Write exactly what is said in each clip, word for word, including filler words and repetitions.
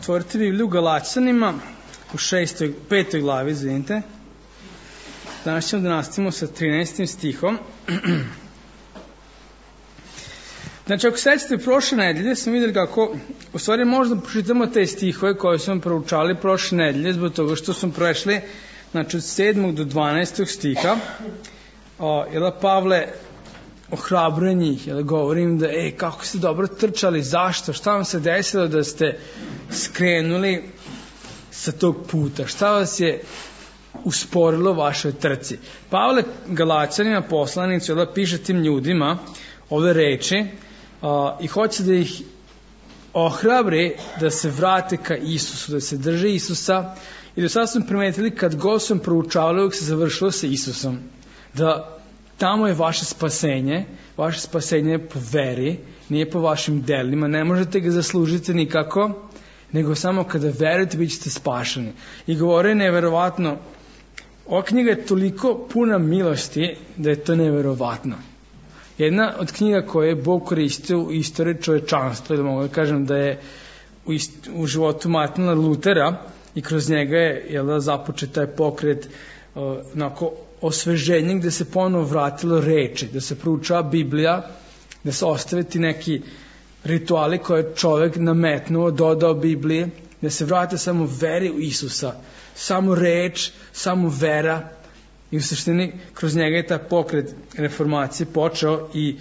otvorite Bibliju u Galaćanima u šestoj, petoj glavi, izvinite. Danas ćemo da nastavimo sa trinaestim stihom. Znači, ako sećate, prošle nedelje smo vidjeli kako, u stvari možda pročitamo te stihove koje smo proučali prošle nedelje, zbog toga što smo prešli, znači, od sedmog do dvanaestog stiha. O, jel, Pavle ohrabruje njih, jel, govorim da, ej, kako ste dobro trčali, zašto, šta vam se desilo da ste skrenuli sa tog puta, šta vas je usporilo vašoj trci. Pavle Galaćanima, poslanicu, jel, piše tim ljudima ove reči, a, i hoće da ih ohrabri da se vrate ka Isusu, da se drže Isusa. I do sada smo primetili, kad god sam proučavali, uvijek se završilo sa Isusom, da tamo je vaše spasenje, vaše spasenje je po veri, nije po vašim delima, ne možete ga zaslužiti nikako, nego samo kada verujete bit ćete spašeni. I govore neverovatno, ova knjiga je toliko puna milosti da je to neverovatno. Jedna od knjiga koje je Bog koristio u istoriji čovečanstva, da mogu da kažem da je u, ist, u životu Martina Lutera i kroz njega je, jel da, započet taj pokret uh, onako osveženje gde se ponovo vratilo reči, da se proučava Biblija, da se ostave ti neki rituali koje je čovek nametnuo, dodao Bibliji, da se vrate samo veri u Isusa, samo reč, samo vera. I u suštini kroz njega je taj pokret reformacije počeo i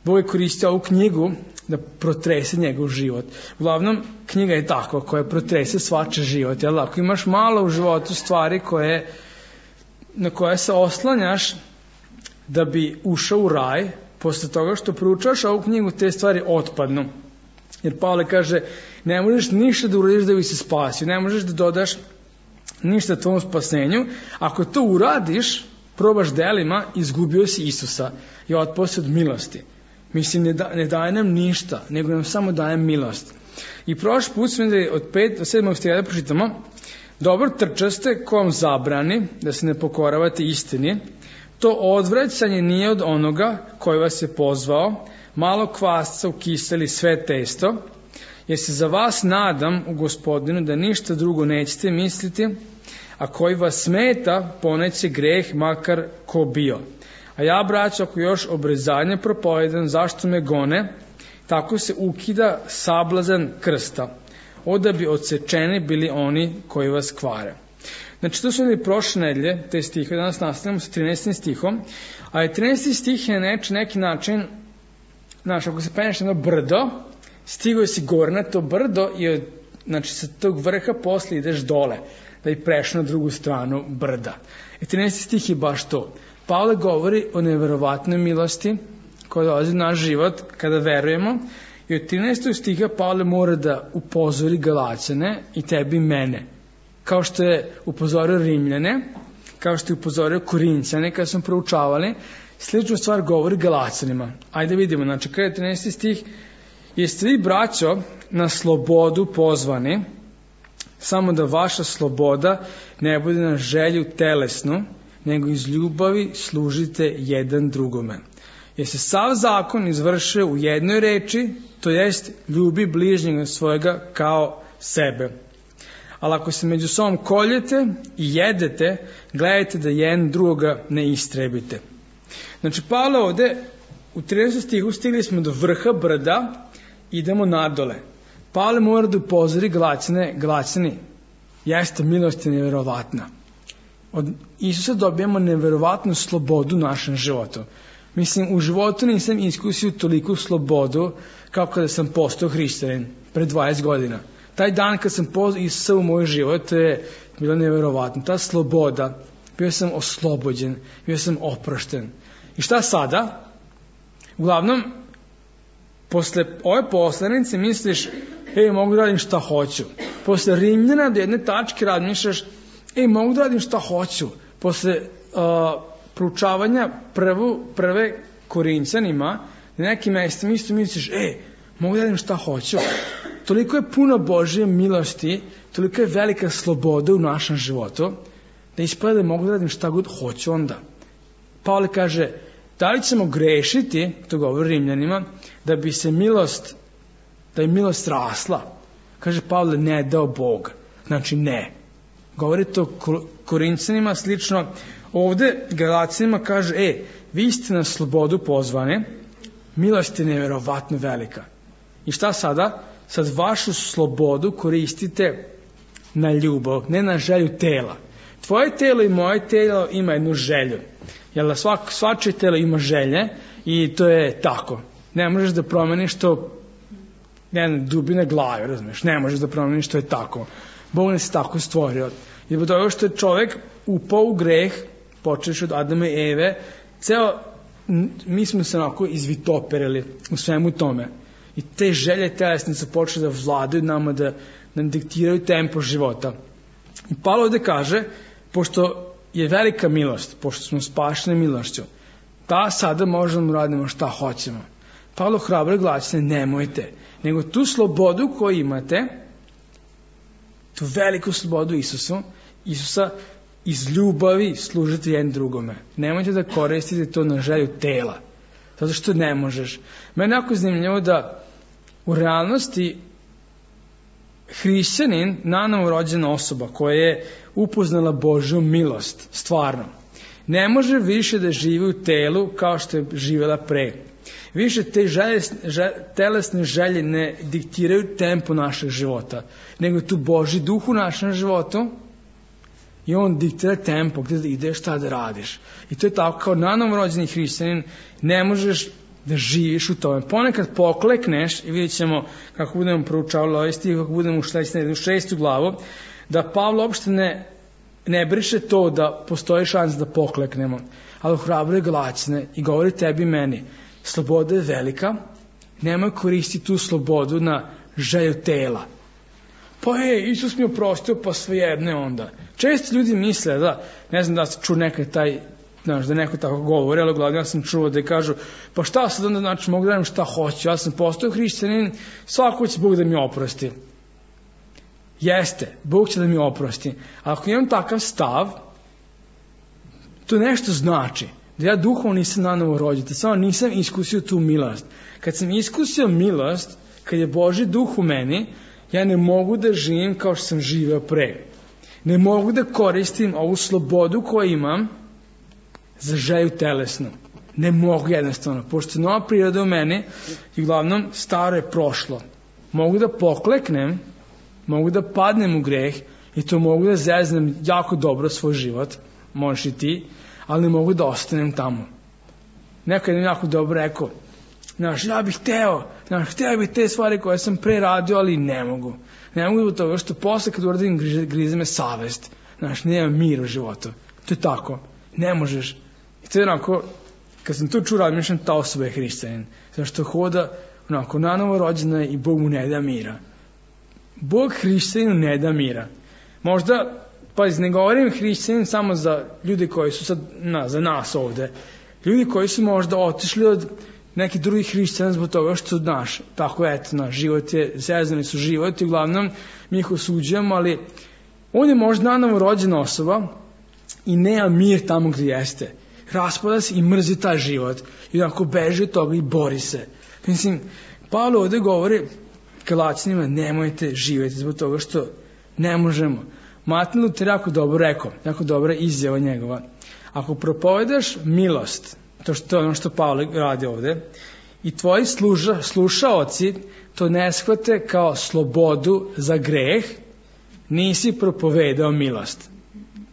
Bog je koristio ovu knjigu da protrese njegov život. Uglavnom, knjiga je takva koja protrese svačiji život. Jel? Ako imaš malo u životu stvari koje, na koje se oslanjaš da bi ušao u raj, posle toga što proučaš ovu knjigu, te stvari otpadnu. Jer Pavle kaže, ne možeš ništa da uradiš da bi se spasio, ne možeš da dodaš ništa tvojom spasenju. Ako to uradiš, probaš delima, izgubio si Isusa i otpao si od milosti. Mislim, ne, da, ne daje nam ništa, nego nam samo daje milost. I prošli put smo da od pet do sedmog stiha da pročitamo, dobro trčaste ko vam zabrani da se ne pokoravate istini, to odvraćanje nije od onoga koji vas je pozvao, malo kvasca ukiseli sve testo, jer se za vas nadam u Gospodinu da ništa drugo nećete misliti, a koji vas smeta poneće greh makar ko bio. A ja, braćo, ako još obrezanje propovedam, zašto me gone, tako se ukida sablazan krsta, oda bi odsečeni bili oni koji vas kvare. Znači, to su ili prošle nedelje, te stihe, danas nastavljamo sa trinaestim stihom, a je trinaesti stih je neč, neki način, znaš, ako se penješ na brdo, stigao si gore na to brdo i od, znači, sa tog vrha posle ideš dole, da bi prešao na drugu stranu brda. I trinaesti stih je baš to. Pavle govori o neverovatnoj milosti koja dolazi u naš život kada verujemo, i od trinaestog stiha Pavle mora da upozori Galaćane i tebi i mene. Kao što je upozorio Rimljane, kao što je upozorio Korinćane kada smo proučavali, sličnu stvar govori Galaćanima. Ajde vidimo, znači kada je trinaesti stih, jeste vi, braćo, na slobodu pozvani, samo da vaša sloboda ne bude na želju telesnu, nego iz ljubavi služite jedan drugome. Jer se sav zakon izvršio u jednoj reči, to jest ljubi bližnjega svojega kao sebe. Ali ako se među sobom koljete i jedete, gledajte da jedan drugoga ne istrebite. Znači, Pavle ovde, u trinaestom stihu stigli smo do vrha brda, idemo nadole. Pavle mora da upozori Galaćane, Galaćani, jeste milost je neverovatna. Od Isusa dobijamo neverovatnu slobodu u našem životu. Mislim, u životu nisam iskusio toliku slobodu kao kada sam postao hrišćanin pre dvadeset godina. Taj dan kad sam pozvao Isusa u moj život, to je bilo neverovatno. Ta sloboda, bio sam oslobođen, bio sam oprošten. I šta sada? Uglavnom, posle ove poslanice misliš, ej, mogu da radim šta hoću. Posle Rimljana do jedne tačke razmišljaš, ej, mogu da radim šta hoću. Posle uh, proučavanja prvu, prve Korinćanima, na nekim mestima isto misliš, ej, mogu da radim šta hoću. Toliko je puno Božje milosti, toliko je velika sloboda u našem životu, da ispada da mogu da radim šta god hoću onda. Pavle kaže, da li ćemo grešiti, to govori Rimljanima, da bi se milost, da je milost rasla. Kaže Pavle, ne dao Bog. Znači ne. Govori to Korinćanima slično. Ovde Galacijima kaže, e, vi ste na slobodu pozvane, milost je nevjerovatno velika. I šta sada? Sad vašu slobodu koristite na ljubav, ne na želju tela. Tvoje telo i moje telo ima jednu želju. Jel, svak, svačije telo ima želje i to je tako. Ne možeš da promeniš to, ne znam, dubine glave, razumiješ, ne možeš da promeniš to je tako. Bog nas je tako stvorio. I zbog toga što je čovjek upao u greh, počeš od Adama i Eve, ceo, mi smo se onako izvitoperili u svemu tome. I te želje telesne su počeli da vladaju nama, da nam diktiraju tempo života. I Pavle ovde kaže, pošto je velika milost, pošto smo spašeni milošću, da sada možemo radimo šta hoćemo. Pavle hrabro glasi, nemojte, nego tu slobodu koju imate, tu veliku slobodu Isusu, Isusa iz ljubavi služite jedan drugome. Nemojte da koristite to na želju tela, zato što ne možeš. Meni je jako zanimljivo da u realnosti hrišćanin, nanovo rođena osoba koja je upoznala Božju milost, stvarno, ne može više da živi u telu kao što je živjela pre. Više te želje, žel, telesne želje ne diktiraju tempo našeg života, nego tu Božji duh u našem životu i on diktira tempo gdje da ideš, šta da radiš. I to je tako, kao nanovo rođeni hrišćanin ne možeš da živiš u tome. Ponekad poklekneš i vidjet ćemo kako budemo proučavali ovaj stih, kako budemo ušli u šestu glavu, da Pavle uopšte ne, ne briše to da postoji šans da pokleknemo, ali hrabre Galaćane i govori tebi i meni, sloboda je velika, nemoj koristiti tu slobodu na želju tela. Pa je, Isus mi oprostio, pa svejedno je onda. Često ljudi misle da, ne znam da se ču nekaj taj, znaš, da neko tako govori, ali uglavnom ja sam čuo da kažu, pa šta sad onda, znači, mogu da radim šta hoću, ja sam postao hrišćanin, svako će Bog da mi oprosti. Jeste, Bog će da mi oprosti. A ako imam takav stav, to nešto znači da ja duhovno nisam nanovo rođen, samo nisam iskusio tu milost. Kad sam iskusio milost, kad je Božji duh u meni, ja ne mogu da živim kao što sam živeo pre. Ne mogu da koristim ovu slobodu koju imam za želju telesnu. Ne mogu jednostavno, pošto je nova priroda u meni i uglavnom staro je prošlo. Mogu da pokleknem, mogu da padnem u greh i to mogu da zeznem jako dobro svoj život, možeš i ti, ali ne mogu da ostanem tamo. Neko je jako dobro rekao, znaš, ja bih hteo, znaš, hteo bih te stvari koje sam pre radio, ali ne mogu. Ne mogu zbog toga što posle kad uradim grize, grize me savest. Znaš, nema mir u životu. To je tako. Ne možeš. I to je onako, kad sam to čuo, razmišljam, ta osoba je hrišćanin. Zato što hoda, onako, nanovo rođena i Bog mu ne da mira. Bog hrišćaninu ne da mira. Možda, pa ne govorim hrišćanin samo za ljudi koji su sad, na, za nas ovde. Ljudi koji su možda otišli od neki drugi hrišćana zbog toga što, znaš, tako eto, naš život je, zezani su život i uglavnom mi ih osuđujemo, ali on je možda nanovo rođena osoba i nema mir tamo gdje jeste. Raspada se i mrzi taj život i onako beži od toga i bori se. Mislim, Pavle ovdje govori Galaćanima, nemojte živjeti zbog toga što ne možemo. Martin Luther jako dobro rekao, jako dobra izjava njegova. Ako propovedaš milost, to što je ono što Pavle radi ovde, i tvoji služa, slušaoci to ne shvate kao slobodu za greh, nisi propovedao milost.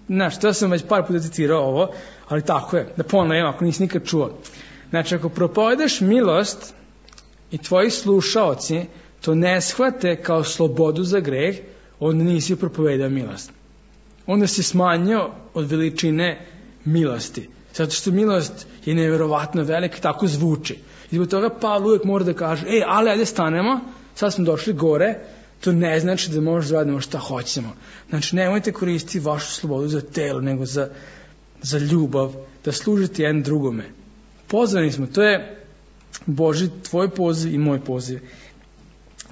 Znaš, to sam već par puta citirao ovo, ali tako je, da ponovim ako nisi nikad čuo. Znači, ako propovedaš milost i tvoji slušaoci to ne shvate kao slobodu za greh, onda nisi propovedao milost. Onda si smanjio od veličine milosti. Zato što milost je nevjerovatno velika, tako zvuči. I zbog toga Pavle uvijek mora da kaže, ej, ali ajde stanemo, sad smo došli gore, to ne znači da možeš da radimo šta hoćemo. Znači, nemojte koristiti vašu slobodu za telo, nego za, za ljubav, da služite jedan drugome. Pozvani smo, to je Boži tvoj poziv i moj poziv.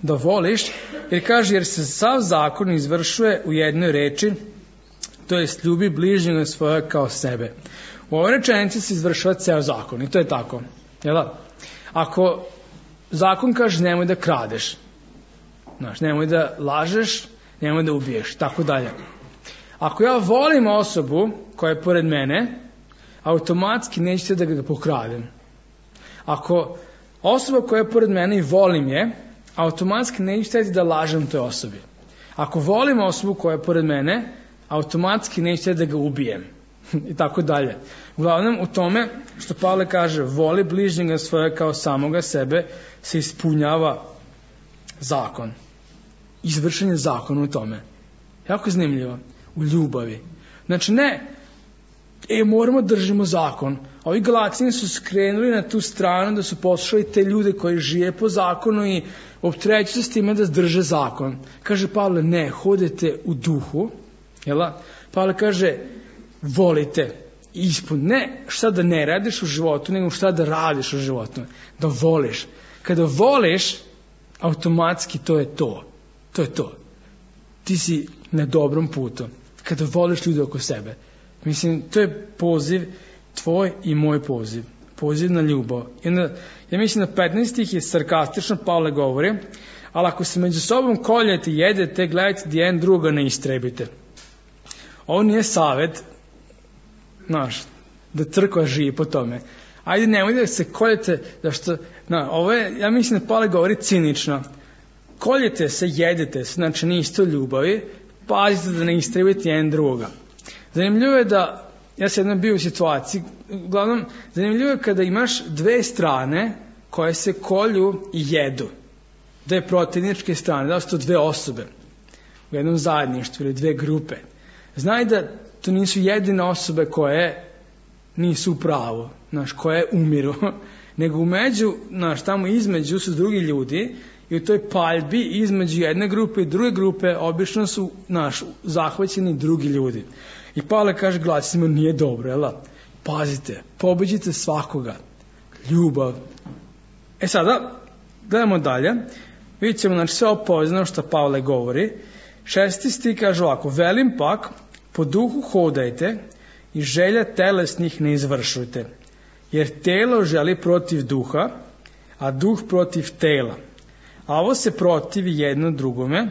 Da voliš, jer kaže, jer se sav zakon izvršuje u jednoj reči, to jest ljubi bližnjega svoja kao sebe. U ovoj rečenici se izvršava ceo zakon i to je tako. Jel da? Ako zakon kaže nemoj da kradeš, Znaš, nemoj da lažeš, nemoj da ubiješ, tako dalje. Ako ja volim osobu koja je pored mene, automatski nećete da ga pokradem. Ako osoba koja je pored mene i volim je, automatski nećete da lažem toj osobi. Ako volim osobu koja je pored mene, automatski nećete da ga ubijem. I tako dalje. Uglavnom u tome što Pavle kaže voli bližnjega svoje kao samoga sebe se ispunjava zakon. Izvršen je zakon u tome. Jako zanimljivo. U ljubavi. Znači ne, e moramo držimo zakon. A ovi Galacijani su skrenuli na tu stranu da su poslušali te ljude koji žive po zakonu i opterećuju se s time da drže zakon. Kaže Pavle, ne, hodete u duhu. Jel? Pavle kaže, volite ispun. Ne šta da ne radiš u životu, nego šta da radiš u životu. Da voliš. Kada voliš, automatski to je to. To je to. Ti si na dobrom putu. Kada voliš ljude oko sebe. Mislim, to je poziv tvoj i moj poziv. Poziv na ljubav. I onda, ja mislim da petnaesti stih je sarkastično, Pavle govori, ali ako se među sobom koljete i jedete, gledajte da jedan druga ne istrebite. Ovo nije savet, znaš, da crkva živi po tome. Ajde, nemoj da se koljete, da što, na, ovo je, ja mislim da Pavle govori cinično. Koljete se, jedete se, znači niste u ljubavi, pazite da ne istrebite jedan druga. Zanimljivo je da, ja sam jednom bio u situaciji, uglavnom, zanimljivo je kada imaš dve strane koje se kolju i jedu. Dve protivničke strane, da su to dve osobe u jednom zajedništvu ili dve grupe. Znaj da to nisu jedine osobe koje nisu u pravu, znaš, koje umiru, nego umeđu, znaš, tamo između su drugi ljudi i u toj paljbi između jedne grupe i druge grupe obično su, znaš, zahvaćeni drugi ljudi. I Pavle kaže Galacijima, nije dobro, jel? Pazite, pobeđite svakoga. Ljubav. E sada, gledamo dalje. Vidjet ćemo, znači, sve opoznano što Pavle govori. Šesti stih kaže ovako, velim pak, po duhu hodajte i želja telesnih ne izvršujte. Jer telo želi protiv duha, a duh protiv tela. A ovo se protivi jedno drugome,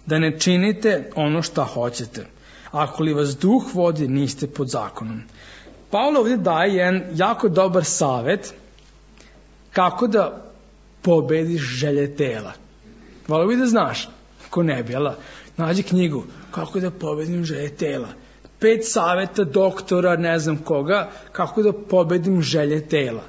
da ne činite ono šta hoćete. Ako li vas duh vodi, niste pod zakonom. Pavle ovdje daje jedan jako dobar savjet kako da pobediš želje tela. Volio bi da znaš, ko ne bi, jel? Nađi knjigu, kako da pobedim želje tela. Pet savjeta doktora, ne znam koga, kako da pobedim želje tela.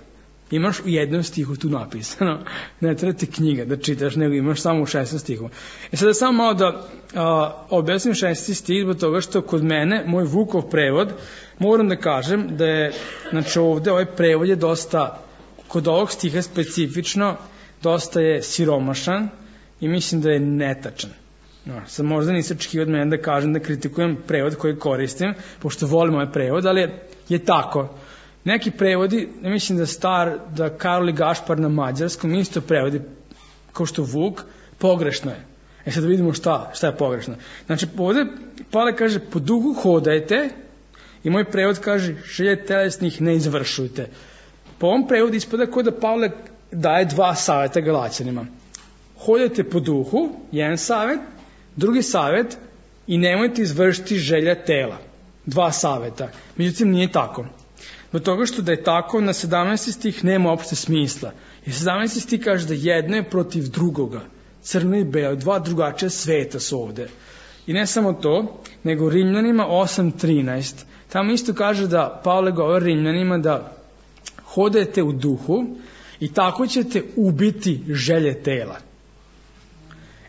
Imaš u jednom stihu tu napisano. Ne treba ti knjiga da čitaš, nego imaš samo u šestom stihu. E sada samo malo da a, objasnim šesti stih, zbog toga što kod mene, moj Vukov prevod, moram da kažem da je, znači ovde ovaj prevod je dosta, kod ovog stiha specifično, dosta je siromašan i mislim da je netačan. No, sad možda nisi očekivao od mene da kažem da kritikujem prevod koji koristim, pošto volim ovaj prevod, ali je, je tako. Neki prevodi, ne mislim da star, da Karol i Gašpar na mađarskom isto prevodi kao što Vuk, pogrešno je. E sad da vidimo šta, šta je pogrešno. Znači ovdje Pavle kaže po duhu hodajte i moj prevod kaže želje telesnih ne izvršujte. Po ovom prevodu ispada kao da Pavle daje dva savjeta Galaćanima. Hodajte po duhu, jedan savjet, drugi savjet i nemojte izvršiti želja tela. Dva savjeta. Međutim nije tako. Zbog toga što da je tako, na sedamnaesti stih nema uopšte smisla. I sedamnaesti stih kaže da jedno je protiv drugoga. Crno i belo, dva drugačija sveta su ovde. I ne samo to, nego Rimljanima osam trinaest. Tamo isto kaže da Pavle govori Rimljanima da hodajte u duhu i tako ćete ubiti želje tela.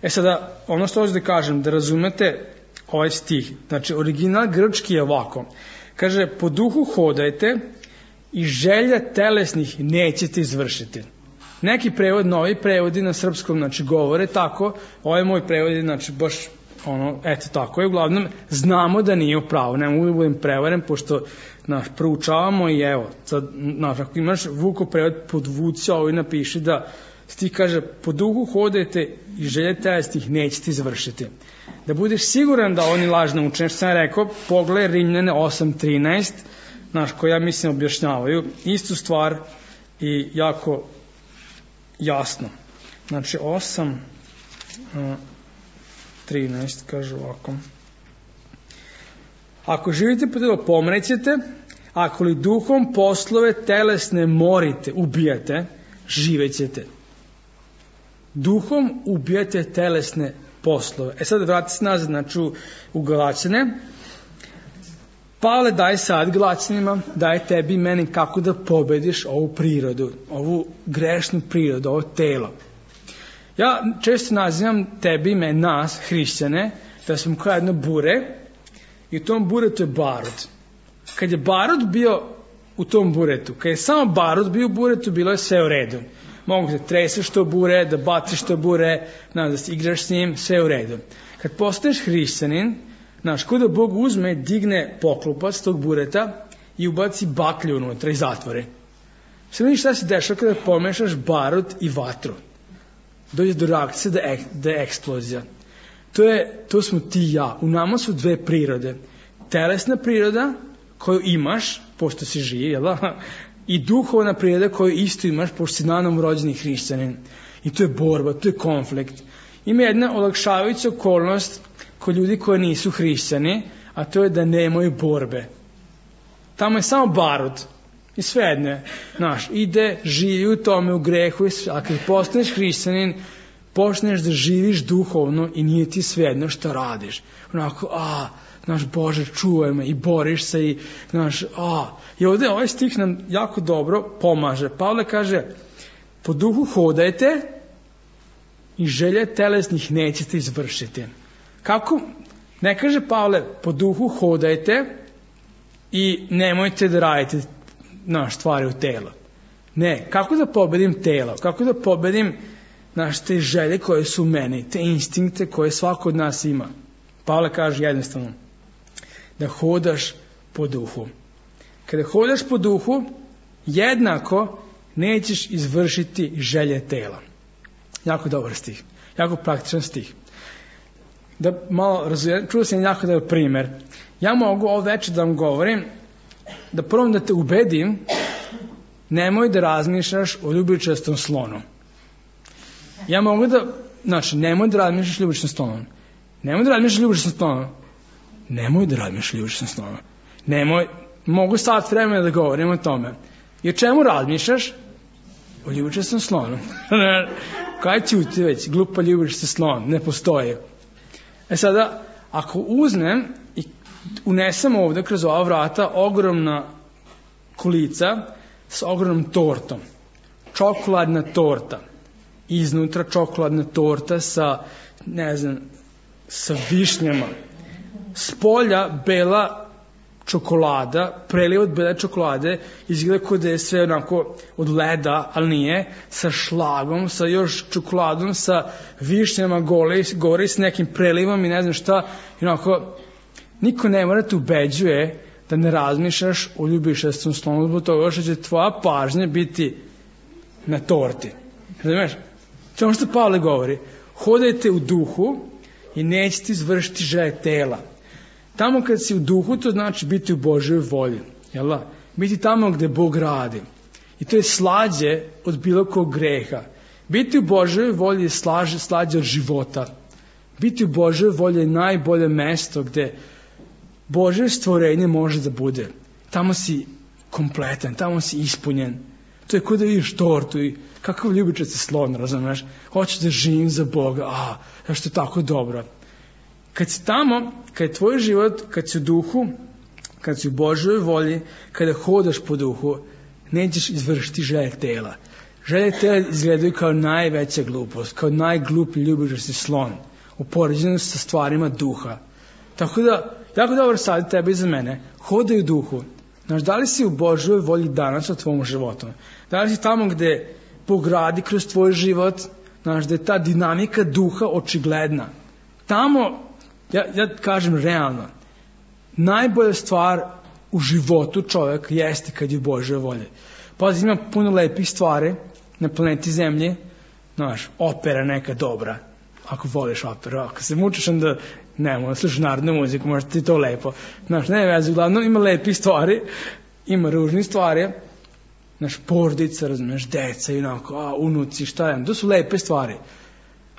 E sada, ono što hoću da kažem, da razumete ovaj stih. Znači, original grčki je ovako. Kaže, po duhu hodajte i želja telesnih nećete izvršiti. Neki prevod, novi prevodi na srpskom, znači govore tako, ovaj moj prevod je, znači, baš, ono, eto tako je, uglavnom, znamo da nije u pravu, ne mogu da budem prevaren, pošto, znaš, proučavamo i evo, sad, znaš, ako imaš Vukov prevod, podvuci ovo i napiši da stih kaže, po duhu hodajte i želje telesnih nećete izvršiti. Da budeš siguran da oni lažno uče, što sam rekao, pogledaj Rimljane osam trinaest, znaš, koji ja mislim objašnjavaju istu stvar i jako jasno. Znači osam trinaest, kaže ovako. Ako živite po telu, pomrećete, ako li duhom poslove telesne morite, ubijate, živećete. Duhom ubijate telesne poslove. E sad vrati se nazad, znači u Galaćane. Pavle, daj sad Galaćanima, daj tebi i meni kako da pobediš ovu prirodu, ovu grešnu prirodu, ovo telo. Ja često nazivam tebi i meni, nas, hrišćane, da smo kao jedno bure i u tom buretu je barut. Kad je barut bio u tom buretu, kad je samo barut bio u buretu, bilo je sve u redu. Mogu da treseš to bure, da baciš to bure, da se igraš s njim, sve u redu. Kad postaneš hrišćanin, znaš, kuda Bog uzme, digne poklopac tog bureta i ubaci baklju unutra i zatvori. Sve vidiš šta se dešava kada pomešaš barut i vatru. Dođe do reakcije da, ek, da je eksplozija. To, je, to smo ti i ja. U nama su dve prirode. Telesna priroda koju imaš, pošto si živ, jel da? I duhovna priroda koju isto imaš, pošto si nanom rođeni hrišćanin. I to je borba, to je konflikt. Ima jedna olakšavajuća okolnost kod ljudi koji nisu hrišćani, a to je da nemaju borbe. Tamo je samo barut. I svejedno, znaš, ide, živi u tome, u grehu, a kad postaneš hrišćanin, počneš da živiš duhovno i nije ti svejedno šta radiš. Onako, a, znaš, Bože, čuvaj me, i boriš se, i, znaš, a. I ovdje ovaj stih nam jako dobro pomaže. Pavle kaže, po duhu hodajte i želje telesnih nećete izvršiti. Kako? Ne kaže Pavle, po duhu hodajte i nemojte da radite naš stvari u telo. Ne, kako da pobedim telo? Kako da pobedim naš te želje koje su u meni, te instinkte koje svako od nas ima? Pavle kaže jednostavno, da hodaš po duhu. Kada hodaš po duhu, jednako nećeš izvršiti želje tela. Jako dobar stih, jako praktičan stih. Da malo razumijem, čuo sam jako dobar primjer. Ja mogu ovo večer da vam govorim, da prvo da te ubedim, nemoj da razmišljaš o ljubičastom slonu. Ja mogu da, znači, nemoj da razmišljaš o ljubičastom slonu. Nemoj da razmišljaš o ljubičastom slonu. Nemoj da razmišljaš o ljubičastom slonu. Nemoj, mogu sat vremena da govorim o tome. I o čemu razmišljaš? O ljubičastom slonu. Kaj ćuti već, glupa ljubičasti slon, ne postoji. E sada, ako uzmem i unesem ovdje kroz ova vrata ogromna kulica s ogromnom tortom, čokoladna torta, iznutra čokoladna torta sa, ne znam, sa višnjama, s polja bela čokolada, preliv od bele čokolade, izgleda kao da je sve onako od leda, ali nije, sa šlagom, sa još čokoladom, sa višnjama gole, gore s nekim prelivom i ne znam šta, i onako, niko ne mora te ubeđuje da ne razmišljaš o ljubičastom slonu, zbog toga što će tvoja pažnja biti na torti. Razumiješ? To je ono što Pavle govori. Hodajte u duhu i nećete izvršiti želje tela. Tamo kad si u duhu, to znači biti u Božoj volji. Jel da? Biti tamo gde Bog radi. I to je slađe od bilo kog greha. Biti u Božoj volji je slađe, slađe od života. Biti u Božoj volji je najbolje mesto gde Božje stvorenje može da bude. Tamo si kompletan, tamo si ispunjen. To je kao da vidiš tortu i kakav ljubičasti slon, razumeš? Hoćeš da živim za Boga, a, zašto je tako dobro. Kad si tamo, kad je tvoj život, kad si u duhu, kad si u Božoj volji, kada hodaš po duhu, nećeš izvršiti želje tela. Želje tela izgledaju kao najveća glupost, kao najgluplji ljubičasti slon, u poređenju sa stvarima duha. Tako da, jako dobro sad tebe i za mene, hodaj u duhu. Znaš, da li si u Božoj volji danas o tvom životu? Da li si tamo gde Bog radi kroz tvoj život, znaš, da je ta dinamika duha očigledna. Tamo, ja, ja kažem realno, najbolja stvar u životu čovjeka jeste kad je u Božoj volji. Pazi, ima puno lepih stvari na planeti Zemlji, znaš, opera neka dobra, ako voliš operu, ako se mučiš onda nemoj, slušaš narodnu muziku, možda ti to lepo. Znaš, ne veze, uglavnom ima lepih stvari, ima ružnih stvari, znaš, porodica, razumiješ, deca, inako, a, unuci, šta je, to su lepe stvari.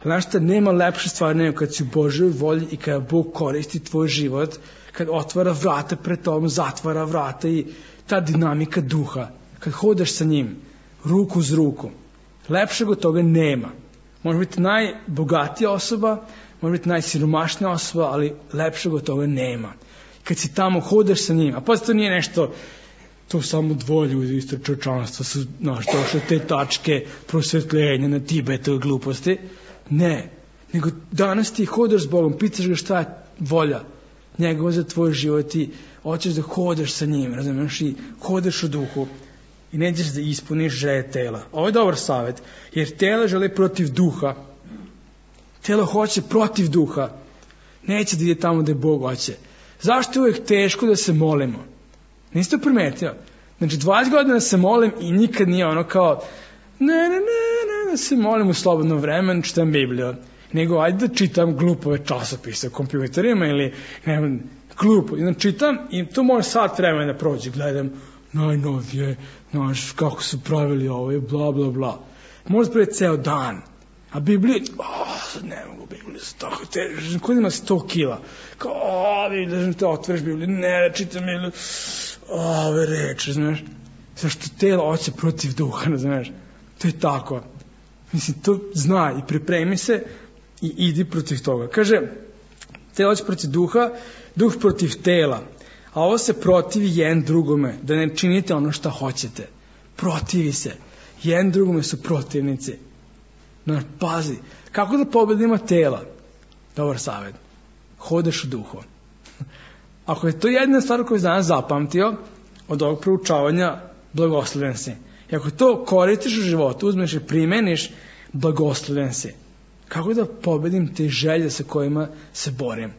Znaš šta, nema lepše stvari nego kad si u Božoj volji i kada Bog koristi tvoj život, kad otvara vrata pred tobom, zatvara vrata i ta dinamika duha, kad hodaš sa njim, ruku uz ruku, lepšeg od toga nema. Može biti najbogatija osoba, može biti najsiromašnija osoba, ali lepšeg od toga nema. Kad si tamo, hodaš sa njim, a pa to nije nešto, to samo dvoje ljudi isto čovječanstva su, znaš, došle te tačke prosvetljenja na Tibetu gluposti. Ne, nego danas ti hodaš s Bogom, pitaš ga šta je volja njegova za tvoj život i hoćeš da hodaš sa njim, razumiješ, i hodaš u duhu i nećeš da ispuniš želje tela. Ovo je dobar savjet, jer telo žele protiv duha. Telo hoće protiv duha. Neće da ide tamo da je Bog hoće. Zašto je uvijek teško da se molimo? Niste to primetio? Znači, dvadeset godina se molim i nikad nije ono kao ne, ne, ne, ne, da se molim u slobodno vreme, čitam Bibliju. Nego, ajde da čitam glupove časopise u kompjuterima ili, ne znam, glupo. I čitam i to može sat vremena da prođe. Gledam najnovije, znaš, kako su pravili ovo i bla, bla, bla. Može prije ceo dan. A Biblija, oh, sad ne mogu Bibliju, tako težem, kod ima sto kila. Kao, o, Biblija, te otvoriš Bibliju, ne, čitam Bibliju, ove reči, znaš. Zašto telo hoće protiv duha, znaš. To je tako. Mislim, to zna i pripremi se i idi protiv toga. Kaže, telo hoće protiv duha, duh protiv tela. A ovo se protivi jedan drugome, da ne činite ono što hoćete. Protivi se. Jedan drugome su protivnici. Znaš, pazi, kako da pobedimo tela? Dobar savjet. Hodaš u duhu. Ako je to jedna stvar koju danas zapamtio od ovog proučavanja, blagosloven si. I ako to koristiš u životu, uzmeš i primeniš, blagosloven si. Kako da pobedim te želje sa kojima se borim?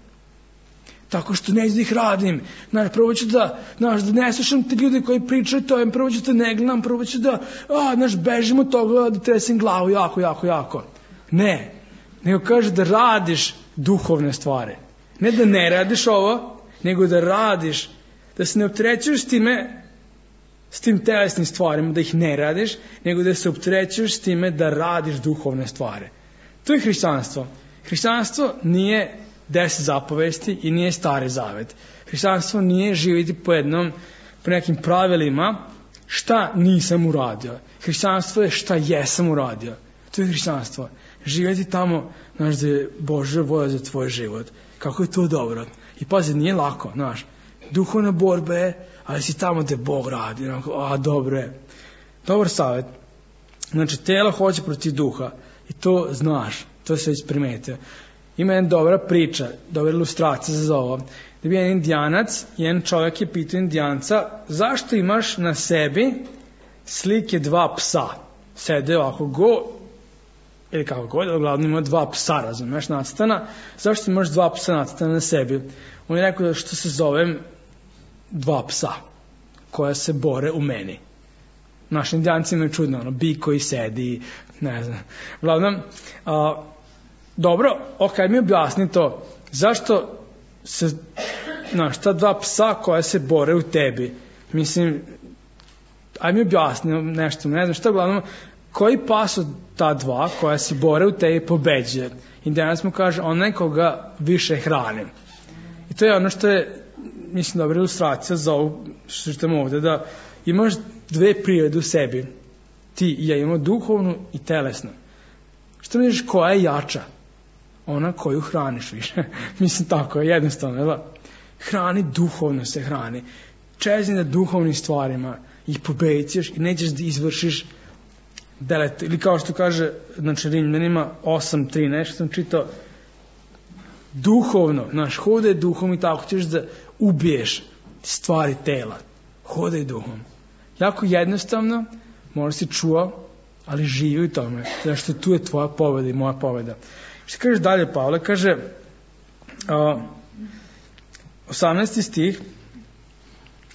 Tako što neću da ih radim. Znaš, prvo ću da, znaš, da ne slušam te ljude koji pričaju to, prvo ću da ne gledam, prvo ću da, a, znaš, bežim od toga, da tresim glavu jako, jako, jako. Ne. Nego kaže da radiš duhovne stvari. Ne da ne radiš ovo, nego da radiš, da se ne opterećuješ s time, s tim telesnim stvarima, da ih ne radiš, nego da se opterećuješ s time da radiš duhovne stvari. To je hrišćanstvo. Hrišćanstvo nije deset zapovesti i nije stari zavet. Hrišćanstvo nije živjeti po jednom, po nekim pravilima šta nisam uradio. Hrišćanstvo je šta jesam uradio. To je hrišćanstvo. Živjeti tamo, znaš, da je Božja volja za tvoj život. Kako je to dobro. I pazi, nije lako, znaš. Duhovna borba je, ali si tamo gde Bog radi. A, dobro je. Dobar savjet. Znači, telo hoće protiv duha. I to znaš. To se već primetio. Ima jedna dobra priča, dobra ilustracija za ovo. Da bi jedan indijanac, jedan čovjek je pitao indijanca, zašto imaš na sebi slike dva psa? Sede ovako go, ili kako god, uglavnom ima dva psa, razumeš, nacrtana. Zašto imaš dva psa nacrtana na sebi? On je rekao da što se zovem dva psa, koja se bore u meni. Naši indijanci imaju čudno, ono, bi koji sedi, ne znam. Uglavnom, a, dobro, ok, mi objasni to. Zašto se, znaš, ta dva psa koja se bore u tebi, mislim, aj mi objasni nešto, ne znam šta, uglavnom, koji pas od ta dva koja se bore u tebi pobeđuje? Indijanac mu kaže, onaj koga više hranim. I to je ono što je, mislim, dobra ilustracija za ovo, što čitam ovde, da imaš dve prirode u sebi. Ti i ja imamo duhovnu i telesnu. Što misliš, koja je jača? Ona koju hraniš više. Mislim, tako je, jednostavno. Da? Hrani duhovno se hrani. Čezni na duhovnim stvarima i pobedit ćeš i nećeš da izvršiš delet. Ili kao što kaže, znači, Rimljanima osam trinaest, sam čitao, duhovno, znaš, hodaj duhom i tako ćeš da ubiješ stvari tela. Hodaj duhom. Jako jednostavno, možda si čuo, ali živi u tome. Zašto tu je tvoja pobeda i moja pobeda. Što kaže dalje Pavle? Kaže, uh, osamnaesti stih,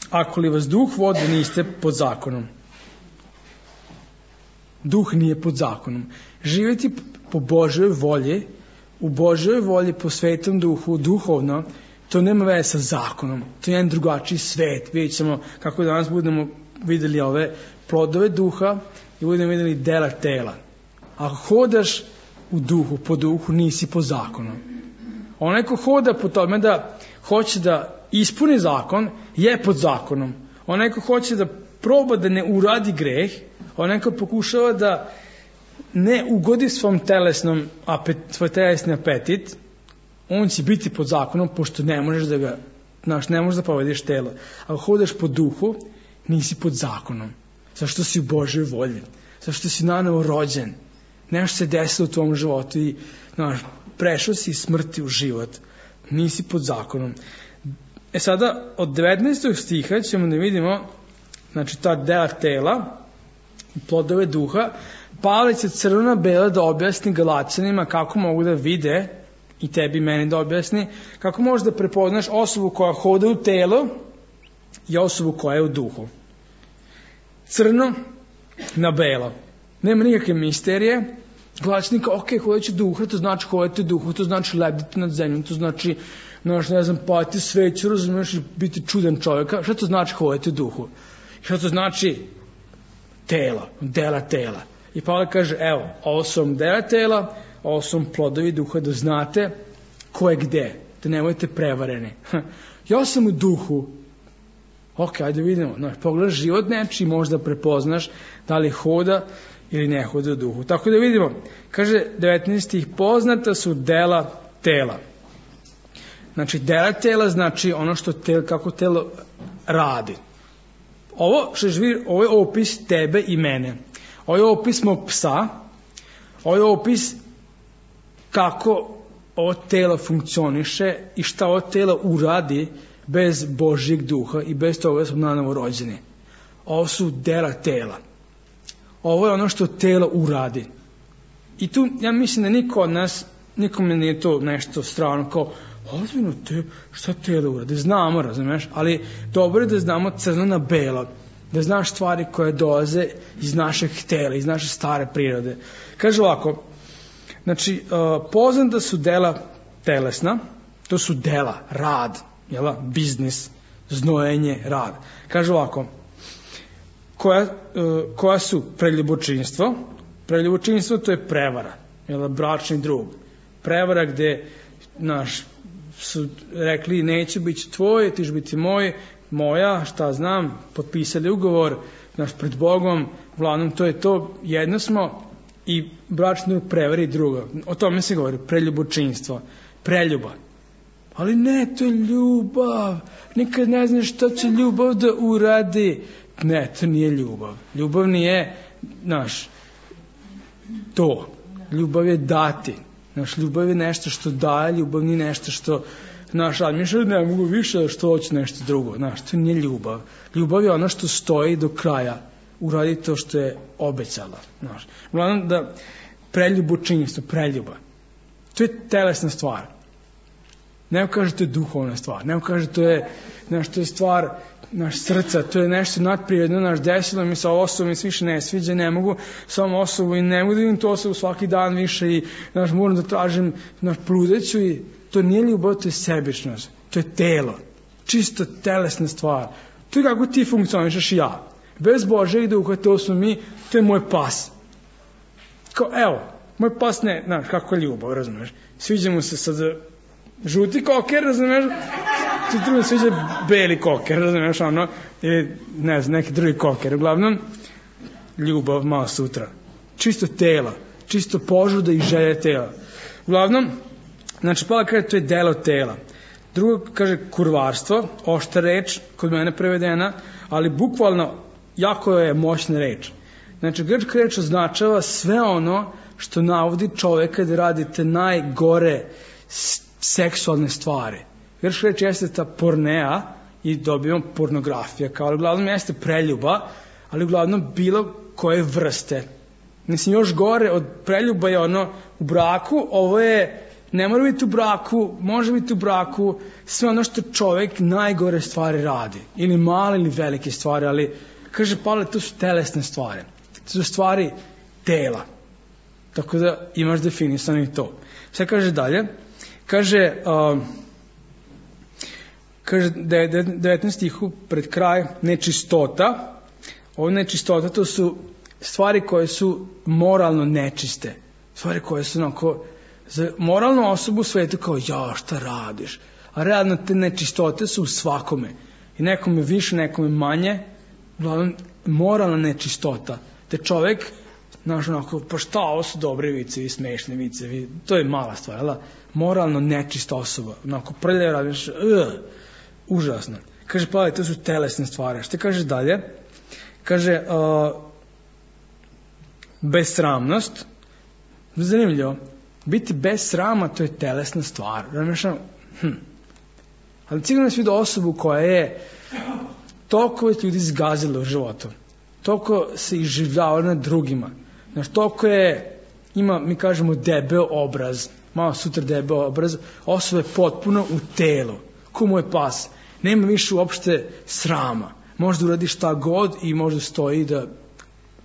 ako li vas duh vodi, niste pod zakonom. Duh nije pod zakonom. Živjeti po Božoj volji, u Božoj volji, po svetom duhu, duhovno, to nema veze sa zakonom. To je jedan drugačiji svet. Vidjet ćemo kako danas budemo vidjeli ove plodove duha i budemo vidjeli dela tela. Ako hodaš u duhu, po duhu, nisi po zakonu. Onaj ko hoda po tome da hoće da ispuni zakon, je pod zakonom. Onaj ko hoće da proba da ne uradi greh, onaj ko pokušava da ne ugodi svom telesnom apet, svoj telesni apetit, on će biti pod zakonom, pošto ne možeš da ga, znaš, ne možeš da povediš telo. Ako hodaš po duhu, nisi pod zakonom. Zašto si u Božoj volji? Zašto si nanovo rođen? Nešto se desilo u tvom životu i, znaš, prešao si iz smrti u život. Nisi pod zakonom. E sada, od devetnaestog stiha ćemo da vidimo, znači, ta dela tela, plodove duha. Pavle će crvena bela da objasni Galaćanima kako mogu da vide, i tebi i meni da objasni, kako možeš da prepoznaš osobu koja hoda u telo i osobu koja je u duhu. Crno na belo. Nema nikakve misterije. Galaćani kao, ok, hodajući duha, to znači hodati u duhu, to znači lebditi nad zemljom, to znači, znaš, ne znam, pati sveću, razumiješ, biti čudan čovjeka. Šta to znači hodati u duhu? Šta to znači tela, dela tela? I Pavle kaže, evo, ovo su vam dela tela, ovo su vam plodovi duha, da znate ko je gde, da ne budete prevareni. Ja sam u duhu. Ok, ajde vidimo. Znaš, pogledaš život nečiji, možda prepoznaš da li hoda ili ne hoda u duhu. Tako da vidimo, kaže devetnaesti, poznata su dela tela. Znači, dela tela znači ono što telo, kako telo radi. Ovo, što živi, ovo je opis tebe i mene. Ovo je opis mog psa. Ovo je opis kako ovo telo funkcioniše i šta ovo telo uradi bez Božjeg duha i bez toga da smo nanovo rođeni. Ovo su dela tela. Ovo je ono što telo uradi. I tu ja mislim da niko od nas, nikome nije to nešto strano kao, ozbiljno, te, šta telo uradi? Znamo, razumeš, ali dobro je da znamo crno na belo, da znaš stvari koje dolaze iz našeg tela, iz naše stare prirode. Kaže ovako, znači, uh, poznata su dela telesna, to su dela, rad, jela, biznis, znojenje, rad. Kaže ovako, koja, uh, koja su preljubočinstvo? Preljubočinstvo to je prevara, jela, bračni drug. Prevara gde, naš, su rekli, neće biti tvoj, ti će biti moj, moja, šta znam, potpisali ugovor, naš, pred Bogom, uglavnom to je to, jedno smo i bračni drug prevari druga. O tome se govori, preljubočinstvo, preljuba. Ali ne, to je ljubav, nikad ne znaš šta će ljubav da uradi. Ne, to nije ljubav. Ljubav nije, naš, to. Ljubav je dati. Naš, ljubav je nešto što daje, ljubav nije nešto što, naš, ali mišljaju, ne mogu više što hoće nešto drugo. Naš, to nije ljubav. Ljubav je ono što stoji do kraja, uradi to što je obećala. Naš. Uglavnom da preljubočinstvo, preljuba. To je telesna stvar. Neko kaže to je duhovna stvar. Neko kaže to je, naš, to je stvar naš srca, to je nešto nadprirodno, naš desilo mi sa osobom i se više ne sviđa, ne mogu samo osobu i ne mogu da vidim tu osobu svaki dan više i naš, moram da tražim naš pludeću i to nije ljubav, to je sebičnost, to je telo, čisto telesna stvar. To je kako ti funkcionišeš i ja. Bez Božeg duha, to smo mi, to je moj pas. Kao, evo, moj pas ne, znaš, kako je ljubav, razumeš? Sviđa mu se sad žuti koker, razumeš? Ti mi sviđa beli koker, razumeš, ono, ili, ne znam, neki drugi koker. Uglavnom, ljubav malo sutra. Čisto tela, čisto požuda i želje tela. Uglavnom, znači, Pavle kaže, to je delo tela. Drugo, kaže, kurvarstvo, oštra reč, kod mene prevedena, ali bukvalno, jako je moćna reč. Znači, grčka reč označava sve ono što navodi čoveka da radite najgore seksualne stvari. Grčka reč jeste ta pornea i dobijemo pornografija, kao uglavnom jeste preljuba, ali uglavnom bilo koje vrste. Mislim, još gore od preljuba je ono u braku, ovo je, ne mora biti u braku, može biti u braku, sve ono što čovek najgore stvari radi. Ili male ili velike stvari, ali, kaže Pavle, to su telesne stvari. To su stvari tela. Tako da imaš definisano i to. Sve kaže dalje. Kaže, uh, kaže devetnaesti stihu pred kraj, nečistota. Ovo nečistota, to su stvari koje su moralno nečiste. stvari koje su onako za moralnu osobu u svetu kao ja šta radiš, a realno te nečistote su u svakome i nekome više, nekome manje, uglavnom moralna nečistota, te čovek znaš onako, pa šta, ovo su dobre vicevi, smešne vicevi, to je mala stvar, ali moralno nečista osoba, onako prlje radiš, uh, užasno. Kaže, pa to su telesne stvari. Šta kaže dalje? Kaže, uh, besramnost, zanimljivo, biti bez srama, to je telesna stvar. Razmišljam, hm. Ali sigurno si vidio osobu koja je toliko već ljudi zgazila u životu, toliko se iživljava na drugima, znaš, toliko je, ima, mi kažemo, debel obraz, malo sutra debel obraz, osoba je potpuno u telu, ko mu je pas, nema više uopšte srama, možda uradi šta god i možda stoji da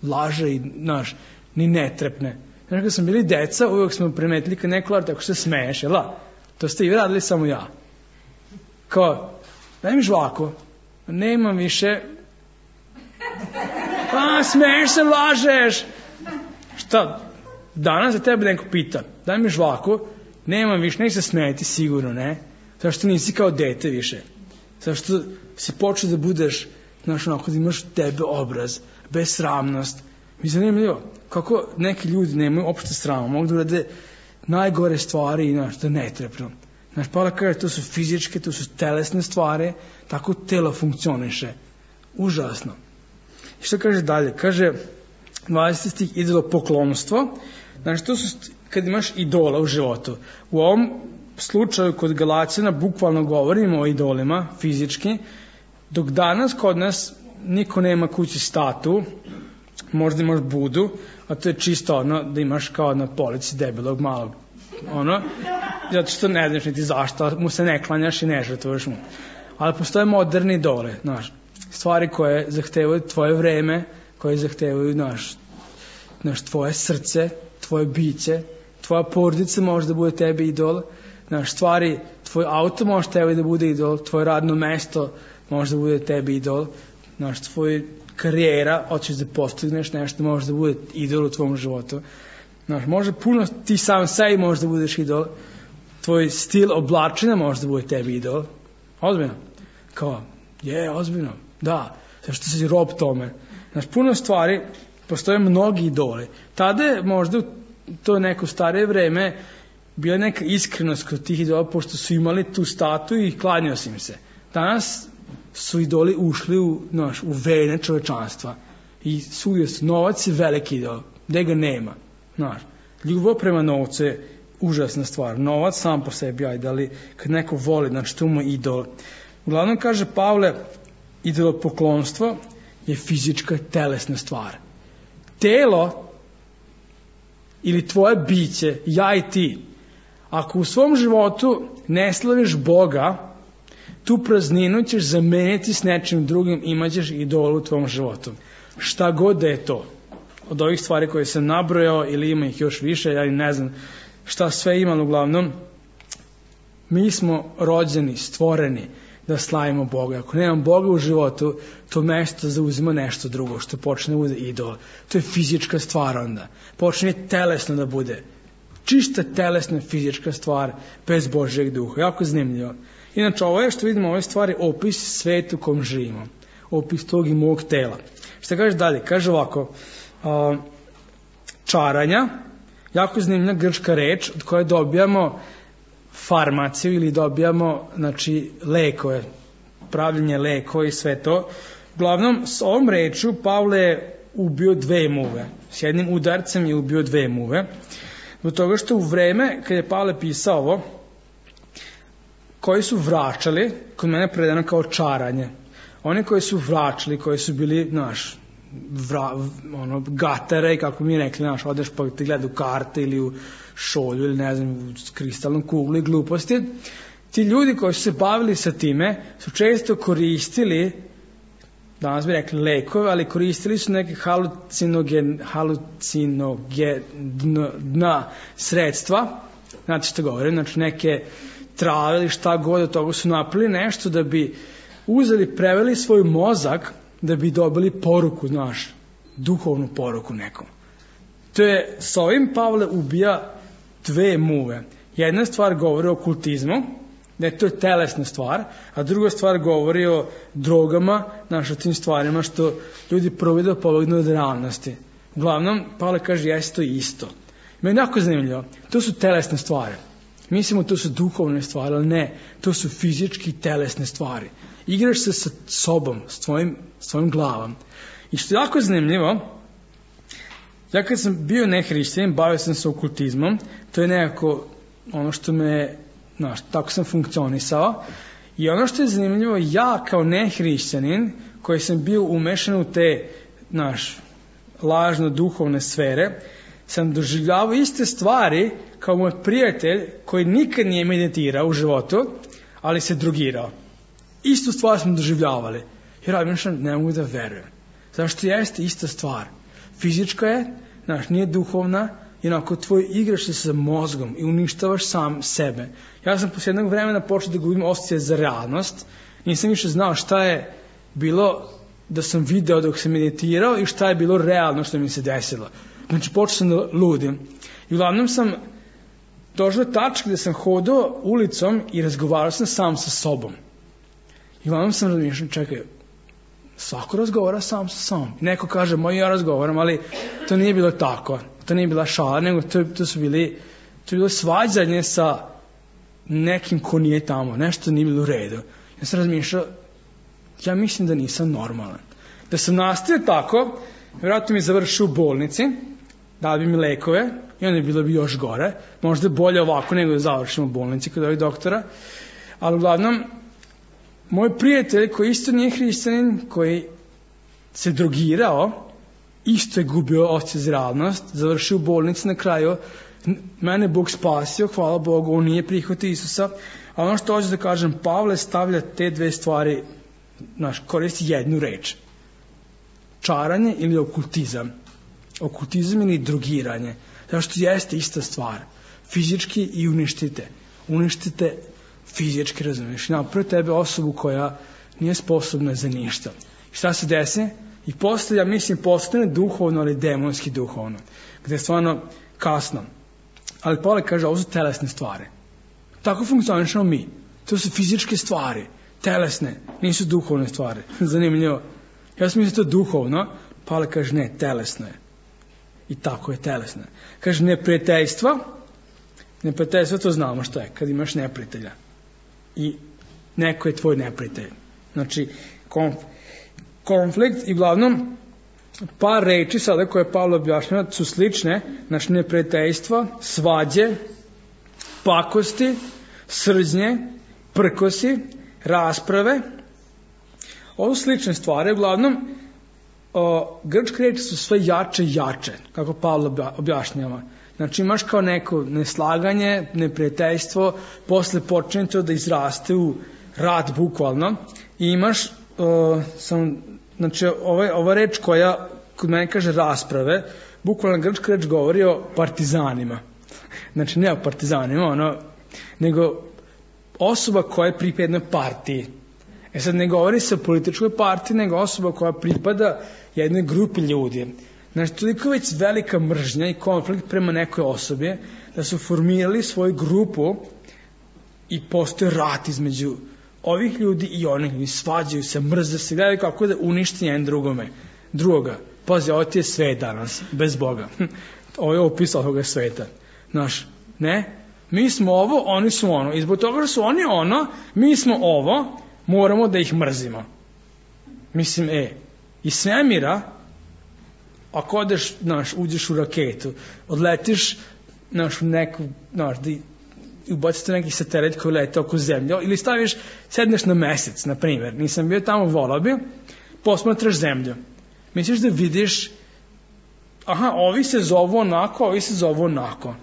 laže i, znaš, ni ne trepne. Znaš, kad smo bili deca, uvijek smo primetili kad neko laže, tako se smeješ, jel da? To ste i vi radili, samo ja. Kao, daj mi žvako, nemam više, a smeješ se, lažeš. Šta, danas za tebe neko pita, daj mi žvako, nemam više, neće se smejati, sigurno ne, zašto nisi kao dete više, zašto si počeo da budeš, znaš, onako da imaš tebe obraz, besramnost. Mi zanimljivo, kako neki ljudi nemaju opšte srama, mogu da urade najgore stvari i, znaš, da ne trepnu. Znaš, Pavle kaže, to su fizičke, to su telesne stvari, tako telo funkcioniše. Užasno. I što kaže dalje? Kaže, dvadeseti stih, idolopoklonstvo. Znači, to su, kad imaš idola u životu. U ovom slučaju kod Galaćana bukvalno govorimo o idolima, fizički, dok danas kod nas niko nema kući statu, možda imaš Budu, a to je čisto ono da imaš kao na polici debelog malog, ono, zato što ne znaš niti zašto, mu se ne klanjaš i ne žrtvuješ mu. Ali postoje moderni idole, znaš, stvari koje zahtevaju tvoje vreme, koje zahtevaju, znaš, znaš, tvoje srce, tvoje biće, tvoja porodica može da bude tebi idol, znaš, stvari, tvoj auto može tebi da bude idol, tvoje radno mesto može da bude tebi idol, znaš, tvoj karijera, hoćeš da postigneš nešto, može da bude idol u tvom životu. Znaš, može puno, ti sam sebi može da budeš idol, tvoj stil oblačenja može da bude tebi idol. Ozbiljno. Kao, je, ozbiljno. Da, zašto si rob tome. Znaš, puno stvari, postoje mnogi idoli. Tada je možda to neko starije vreme bila neka iskrenost kod tih idola, pošto su imali tu statu i klanjao si im se. Danas su idoli ušli u, znaš, u vene čovečanstva i svugdje su, novac je veliki idol, gde ga nema. Znaš, ljubav prema novcu je užasna stvar. Novac sam po sebi, ajde, ali kad neko voli, znači to mu je idol. Uglavnom kaže Pavle, idolopoklonstvo je fizička telesna stvar. Telo ili tvoje biće, ja i ti, ako u svom životu ne slaviš Boga, tu prazninu ćeš zameniti s nečim drugim, imaćeš idolu u tvom životu. Šta god da je to. Od ovih stvari koje sam nabrojao, ili ima ih još više, ja ne znam šta sve imam, uglavnom, mi smo rođeni, stvoreni da slavimo Boga. Ako nemam Boga u životu, to mesto zauzima nešto drugo, što počne da bude idol. To je fizička stvar onda. Počne telesno da bude. Čista telesna fizička stvar, bez Božjeg duha. Jako zanimljivo. Inače, ovo je što vidimo, ove stvari, opis svetu u kom živimo. Opis tog i mog tela. Šta kaže dalje? Kaže ovako, Uh, čaranja, jako zanimljiva grčka reč od koje dobijamo farmaciju ili dobijamo, znači, lekove, pravljenje lekova i sve to. Uglavnom, s ovom rečju Pavle je ubio dve muve. S jednim udarcem je ubio dve muve. Zbog toga što u vreme, kad je Pavle pisao ovo, koji su vraćali, kod mene predano kao čaranje. Oni koji su vraćali, koji su bili, znaš, Vra, ono, gatare, kako mi rekli, znaš, odeš pa ti gleda u karte ili u šolju ili ne znam, u kristalnom kuglu i gluposti. Ti ljudi koji su se bavili sa time su često koristili, danas bi rekli lekove, ali koristili su neke halucinogen, halucinogena sredstva, znate što govorim, znači neke trave ili šta god od toga su napravili nešto da bi uzeli, preveli svoj mozak da bi dobili poruku, znaš, duhovnu poruku nekom. To je, s ovim Pavle ubija dve muve. Jedna stvar govori o okultizmu, da je to telesna stvar, a druga stvar govori o drogama, znaš, o tim stvarima što ljudi probaju da pobegnu od realnosti. Uglavnom, Pavle kaže, jeste to isto. Meni je jako zanimljivo. To su telesne stvari. Mislimo to su duhovne stvari, ali ne. To su fizički telesne stvari. Igraš se sa sobom, s tvojim, s tvojim glavom. I što je jako zanimljivo, ja kad sam bio nehrišćanin, bavio sam se okultizmom, to je nekako ono što me, znaš, tako sam funkcionisao. I ono što je zanimljivo, ja kao nehrišćanin, koji sam bio umešan u te, znaš, lažno duhovne sfere, sam doživljavao iste stvari kao moj prijatelj koji nikad nije meditirao u životu, ali se drogirao. Istu stvar smo doživljavali. Jer ja mislim, ne mogu da verujem. Zašto jeste ista stvar? Fizička je, znaš, nije duhovna, i onako tvoj igraš se sa mozgom i uništavaš sam sebe. Ja sam posle jednog vremena počeo da gubim osjećaj za realnost. Nisam više znao šta je bilo da sam video dok sam meditirao i šta je bilo realno što mi se desilo. Znači, počeo sam da ludim. I uglavnom sam došao do tačke gde sam hodao ulicom i razgovarao sam sam sa sobom. I uglavnom sam razmišljao, čekaj, svako razgovara sam sa sobom. Neko kaže, moj ja razgovaram, ali to nije bilo tako. To nije bila šala, nego to, to su bili, to je bilo svađanje sa nekim ko nije tamo. Nešto nije bilo u redu. Ja sam razmišljao, ja mislim da nisam normalan. Da sam nastavio tako, vjerojatno mi završio u bolnici, dali bi mi lekove i onda je bilo bi još gore. Možda bolje ovako nego da završimo u bolnici kod ovih doktora. Ali uglavnom, moj prijatelj koji isto nije hrišćanin, koji se drogirao, isto je gubio osjećaj za realnost, završio u bolnici na kraju, mene Bog spasio, hvala Bogu, on nije prihvatio Isusa, a ono što hoću da kažem, Pavle stavlja te dve stvari, znaš, koristi jednu reč. Čaranje ili okultizam. Okultizam ili drogiranje. Zato što jeste ista stvar. Fizički i uništite. Uništite fizički, razumiješ. Napravo tebe osobu koja nije sposobna za ništa. I šta se desi? I posle, ja mislim, postane duhovno, ali demonski duhovno. Gde je stvarno kasno. Ali Pavle kaže, ovo su telesne stvari. Tako funkcionišemo mi. To su fizičke stvari. Telesne. Nisu duhovne stvari. Zanimljivo. Ja sam mislio to duhovno. Pavle kaže, ne, telesno je. I tako je, telesno je. Kaže, neprijateljstva. Neprijateljstva, to znamo šta je. Kad imaš neprijatelja. I neko je tvoj neprijatelj. Znači, konf, konflikt i uglavnom par reči sada koje Pavle objašnjava su slične. Znači, neprijateljstva, svađe, pakosti, srđnje, prkosi, rasprave. Ovo su slične stvari. Uglavnom, o, grčke reči su sve jače i jače, kako Pavle objašnjava. Znači, imaš kao neko neslaganje, neprijateljstvo, posle počne to da izraste u rat, bukvalno. I imaš, o, sam, znači, ova, ova reč koja kod mene kaže rasprave, bukvalno grčka reč govori o partizanima. Znači, ne o partizanima, ono, nego osoba koja je pripada jednoj partiji. E sad, ne govori se o političkoj partiji, nego osoba koja pripada jednoj grupi ljudi. Znači, toliko već velika mržnja i konflikt prema nekoj osobi, da su formirali svoju grupu i postoje rat između ovih ljudi i onih ljudi. Svađaju se, mrze se, gledaju kako da uništi jedan drugome. Drugoga. Pazi, ovo ti je svet danas, bez Boga. Ovo je opis ovoga sveta. Znaš, ne? Mi smo ovo, oni su ono. I zbog toga što su oni ono, mi smo ovo, moramo da ih mrzimo. Mislim, e, iz svemira, ako odeš, znaš, uđeš u raketu, odletiš, znaš, u neku, znaš, da ubacite neki satelit koji lete oko zemlje, ili staviš, sedneš na mesec, na primjer, nisam bio tamo, volao bi, posmatraš zemlju. Misliš da vidiš, aha, ovi se zovu onako, ovi se zovu onako.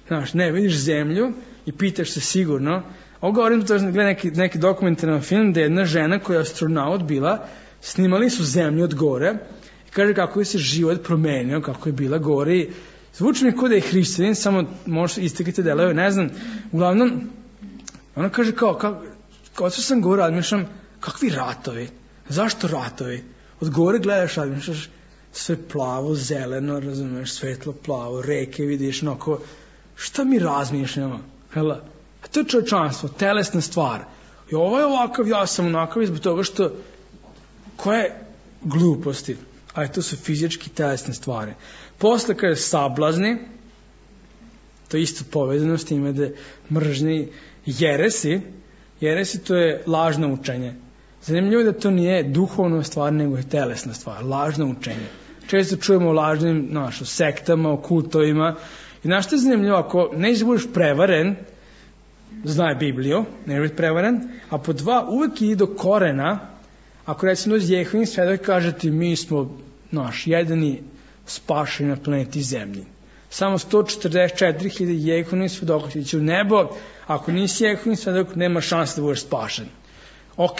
Znaš, ne, vidiš zemlju i pitaš se sigurno. Ovo govorim, to je neki, neki dokumentaran film gde je jedna žena koja je astronaut bila, snimali su zemlju od gore i kaže kako je se život promenio, kako je bila gore i zvuči mi kao da je hrišćanin, samo možeš istakite delove, ne znam. Uglavnom, ona kaže kao, kao, kao što sam gore, razmišljam, kakvi ratovi? Zašto ratovi? Od gore gledaš, razmišljaš, sve plavo, zeleno, razumeš, svetlo plavo, reke vidiš, onako, šta mi razmišljamo? Hela, a to je čovječanstvo, telesna stvar. I ovo je ovakav, ja sam onakav zbog toga što, koje gluposti, a to su fizički telesne stvari. Posle kada je sablazni, to je isto povezano s time da mržnji jeresi, jeresi to je lažno učenje. Zanimljivo je da to nije duhovna stvar, nego je telesna stvar, lažno učenje. Često čujemo o lažnim naš, o sektama, o kultovima. I znaš što je zanimljivo, ako nećeš budeš prevaren, znaj Bibliju, ne biti prevaren, a po dva uvek ide do korena, ako recimo dođe Jehovin svedok i kaže ti mi smo naš jedini spašeni na planeti Zemlji. Samo sto četrdeset četiri hiljade Jehovin svedoka će ići u nebo, ako nisi Jehovin svedok nema šanse da budeš spašen. Ok,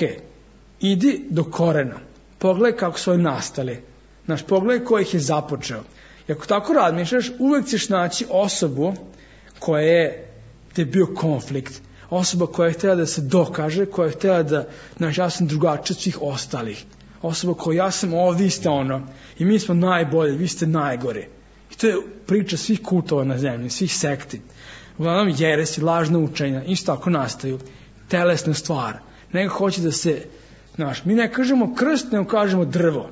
idi do korena, pogledaj kako su oni nastali, znaš, pogledaj ko ih je započeo. I ako tako razmišljaš, uvek ćeš naći osobu koja je, da je bio konflikt, osoba koja je htjela da se dokaže, koja je htjela da, znaš, ja sam drugačiji od svih ostalih, osoba koja ja sam ovo, vi ste ono, i mi smo najbolji, vi ste najgori. I to je priča svih kultova na zemlji, svih sekti. Uglavnom jeresi, lažna učenja, isto tako nastaju, telesna stvar. Neko hoće da se, znaš, mi ne kažemo krst, nego kažemo drvo.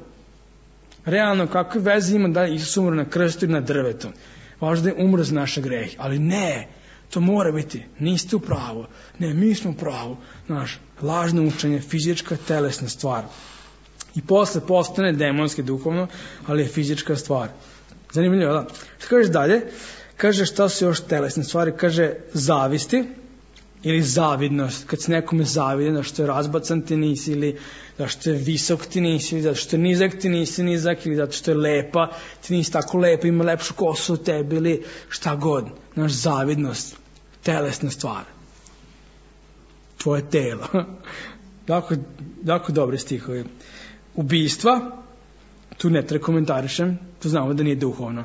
Realno, kakve veze ima da Isus umro na krstu ili na drvetu? Važno da je umro za naše grehe. Ali ne, to mora biti, niste u pravu. Ne, mi smo u pravu. Znaš, lažno učenje, fizička, telesna stvar. I posle postane demonski duhovno, ali je fizička stvar. Zanimljivo, da? Što kažeš dalje? Kaže šta su još telesne stvari? Kaže zavisti ili zavidnost. Kad se nekome zavide, da što je razbacan ti nisi, ili da što je visok ti nisi, ili da što je nizak ti nisi nizak, ili da što je lepa ti nisi tako lepa, ima lepšu kosu od tebi, ili šta god. Naš zavidnost, telesna stvar. Tvoje telo. Jako, jako dobri stihovi. Ubijstva, tu ne treba komentarišem, to znamo da nije duhovno.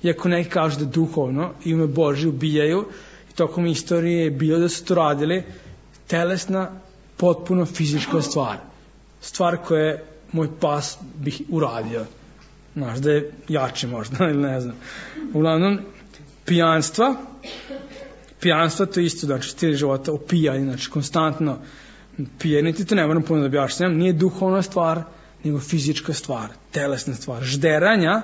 Iako neki kažu da je duhovno, ime Božje ubijaju, i tokom istorije je bilo da su to radili, telesna, potpuno fizička stvar. Stvar koje moj pas bih uradio. Znaš, da je jače možda, ili ne znam. Uglavnom, pijanstva, pijanstva to isto, znači stil života, opijanje, znači konstantno pijanje, ti to ne moram puno da objašnjam, nije duhovna stvar, nego fizička stvar, telesna stvar. Žderanja,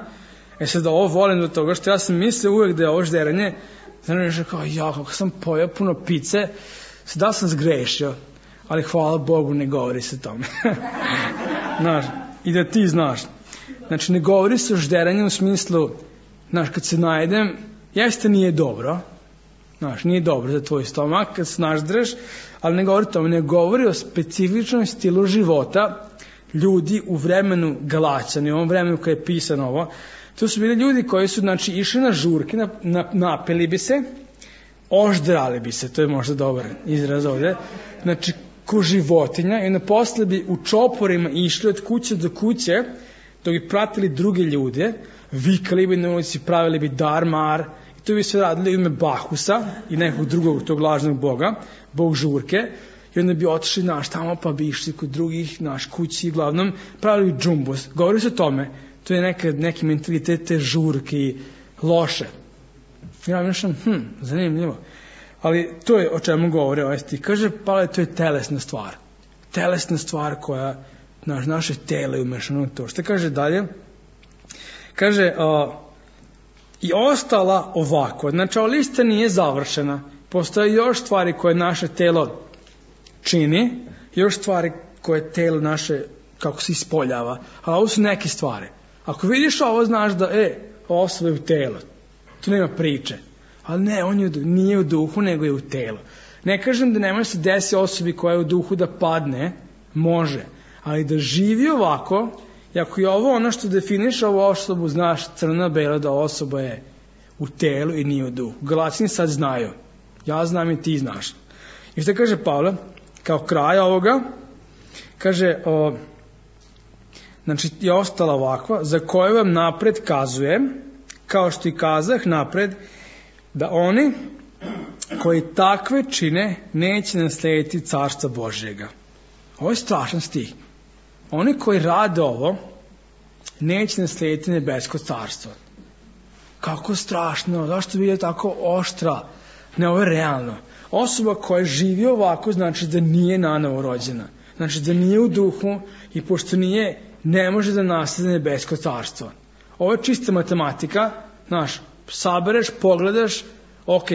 e sad ovo volim do toga što ja sam mislio uvek da je ovo žderanje, znači nešto kao, ja, kako sam pojao puno pice, sada sam zgrešio, ali hvala Bogu ne govori se tome. Znaš, i da ti znaš. Znači, ne govori se o žderanju u smislu, znaš, kad se najedem, jeste nije dobro, znaš, nije dobro za tvoj stomak, kad se naždreš, ali ne govori o tome, ne govori o specifičnom stilu života ljudi u vremenu Galaćana, u ovom vremenu kada je pisano ovo. To su bili ljudi koji su, znači, išli na žurke, na, na, napeli bi se, oždrali bi se, to je možda dobar izraz ovdje, znači, ko životinja, i onda posle bi u čoporima išli od kuće do kuće, dok bi pratili druge ljude, vikali bi na ulici, pravili bi dar-mar, i to bi sve radili u ime Bahusa i nekog drugog tog lažnog boga, bog žurke, i onda bi otišli naš tamo, pa bi išli kod drugih naš kući, uglavnom pravili bi džumbus. Govori se o tome, to je neka, neki mentalitet te žurke i loše. Ja mišljam, hm, zanimljivo. Ali to je o čemu govore ovaj stih. Kaže, pa to je telesna stvar. Telesna stvar koja, naš, naše telo je umešano u to. Što kaže dalje? Kaže, o, i ostala ovako. Znači, ova lista nije završena. Postoje još stvari koje naše telo čini, još stvari koje telo naše, kako se ispoljava. Ali ovo su neke stvari. Ako vidiš ovo, znaš da, e, osoba je u telo. Tu nema priče. Ali ne, on je, nije u duhu, nego je u telu. Ne kažem da ne može se desi osobi koja je u duhu da padne, može. Ali da živi ovako, i ako je ovo ono što definiš ovu osobu, znaš crno-belo da osoba je u telu i nije u duhu. Galaćani sad znaju. Ja znam i ti znaš. I što kaže Pavle? Kao kraj ovoga, kaže, o, znači je ostala ovakva, za koju vam napred kazujem, kao što i kazah napred, da oni koji takve čine neće naslediti carstva Božjega. Ovo je strašan stih. Oni koji rade ovo neće naslijediti nebesko carstvo. Kako strašno, zašto bi je tako oštra? Ne, ovo je realno. Osoba koja živi ovako znači da nije nanovo rođena. Znači da nije u duhu i pošto nije, ne može da nasledi nebesko carstvo. Ovo je čista matematika, znaš, sabereš, pogledaš, ok,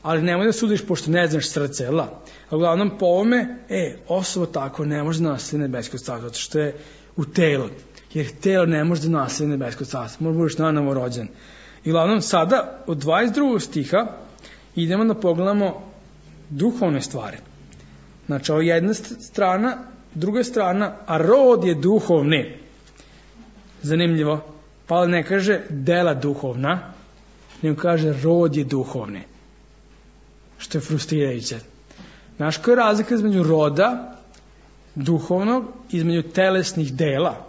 ali nemoj da sudiš pošto ne znaš srce, jel da? A uglavnom po ovome, e, osoba tako ne može da nasledi nebesko carstvo, zato što je u telu. Jer telo ne može da nasledi nebesko carstvo, može budeš nanovo rođen. I uglavnom sada, od dvadeset drugog stiha, idemo da pogledamo duhovne stvari. Znači, ovo je jedna strana, druga strana, a rod je duhovni. Zanimljivo. Pavle ne kaže dela duhovna, nego kaže rod je duhovni. Što je frustrirajuće. Znaš koja je razlika između roda duhovnog, između telesnih dela?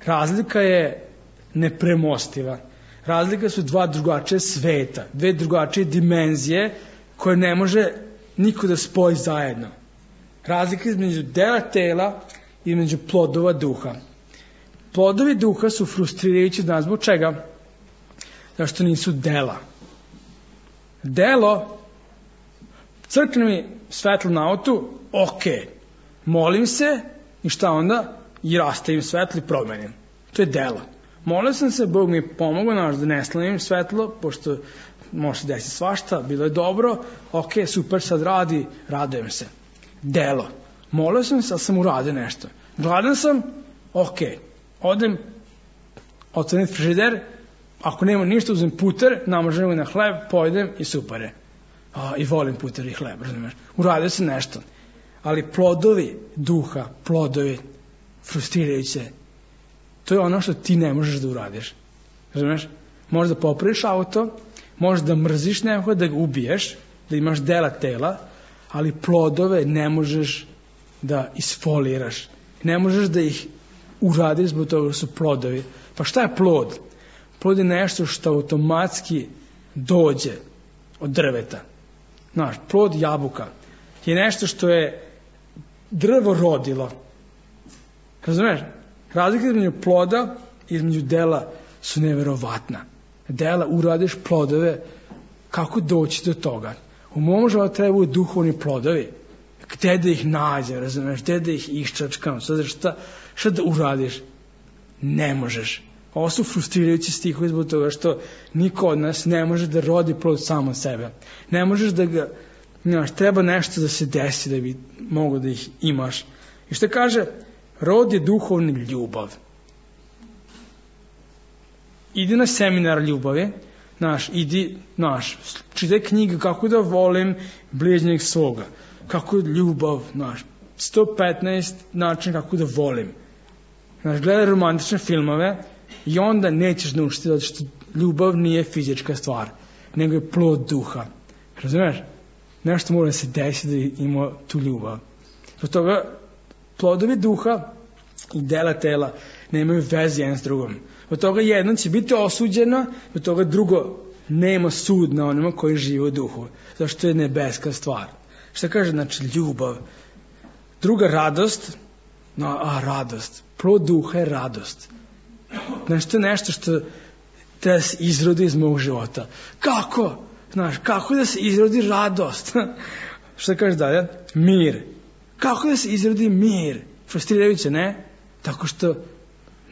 Razlika je nepremostiva. Razlika su dva drugačije sveta, dve drugačije dimenzije koje ne može niko da spoji zajedno. Razlika između dela tela i između plodova duha. Plodovi duha su frustrirajući od nas. Zbog čega? Zašto nisu dela. Delo, crkne mi svetlo na autu, ok, molim se i šta onda? I rastavim svetlo i promenim. To je delo. Molio sam se, Bog mi je pomogao, naš, da ne slavim svetlo, pošto može se desiti svašta, bilo je dobro, ok, super, sad radi, radujem se. Delo. Molio sam se, ali sam uradio nešto. Gladan sam, ok, odem, otvorim frižider, ako nema ništa, uzem puter, namažem ga na hleb, pojedem i super je. A, i volim puter i hleb, razumiješ. Uradio sam nešto. Ali plodovi duha, plodovi frustrirajuće, to je ono što ti ne možeš da uradiš. Razumiješ? Možeš da popraviš auto, možeš da mrziš nekoga, da ga ubiješ, da imaš dela tela, ali plodove ne možeš da isfoliraš. Ne možeš da ih uradiš zbog toga su plodovi. Pa šta je plod? Plod je nešto što automatski dođe od drveta. Znaš, plod jabuka je nešto što je drvo rodilo. Razumiješ? Razlika između ploda i između dela su neverovatna. Dela uradiš plodove, kako doći do toga? U mom životu trebaju duhovni plodovi. Gde da ih nađem, razumiješ? Gde da ih iščačkam? Sada šta, šta da uradiš? Ne možeš. Ovo su frustrirajući stihovi zbog toga što niko od nas ne može da rodi plod samo sebe. Ne možeš da ga, znaš, treba nešto da se desi da bi mogo da ih imaš. I što kaže, rod je duhovni ljubav. Idi na seminar ljubavi, znaš, idi, znaš, čitaj knjige kako da volim bližnjeg svoga, kako je ljubav, znaš, sto petnaest način kako da volim. Znaš, gledaj romantične filmove i onda nećeš naučiti zato što ljubav nije fizička stvar, nego je plod duha. Razumeš? Nešto mora se desiti da ima tu ljubav. Zbog toga plodovi duha i dela tela nemaju veze jedan s drugom. Zbog toga jedno će biti osuđeno, zbog toga drugo nema sud na onima koji žive u duhu. Zašto je nebeska stvar. Šta kaže, znači, ljubav. Druga, radost. No, a, radost. Plod duha je radost. Znači, to je nešto što treba se izrodi iz mog života. Kako? Znaš, kako da se izrodi radost? Šta kaže dalje? Mir. Kako da se izrodi mir? Frustrirajuće, ne? Tako što,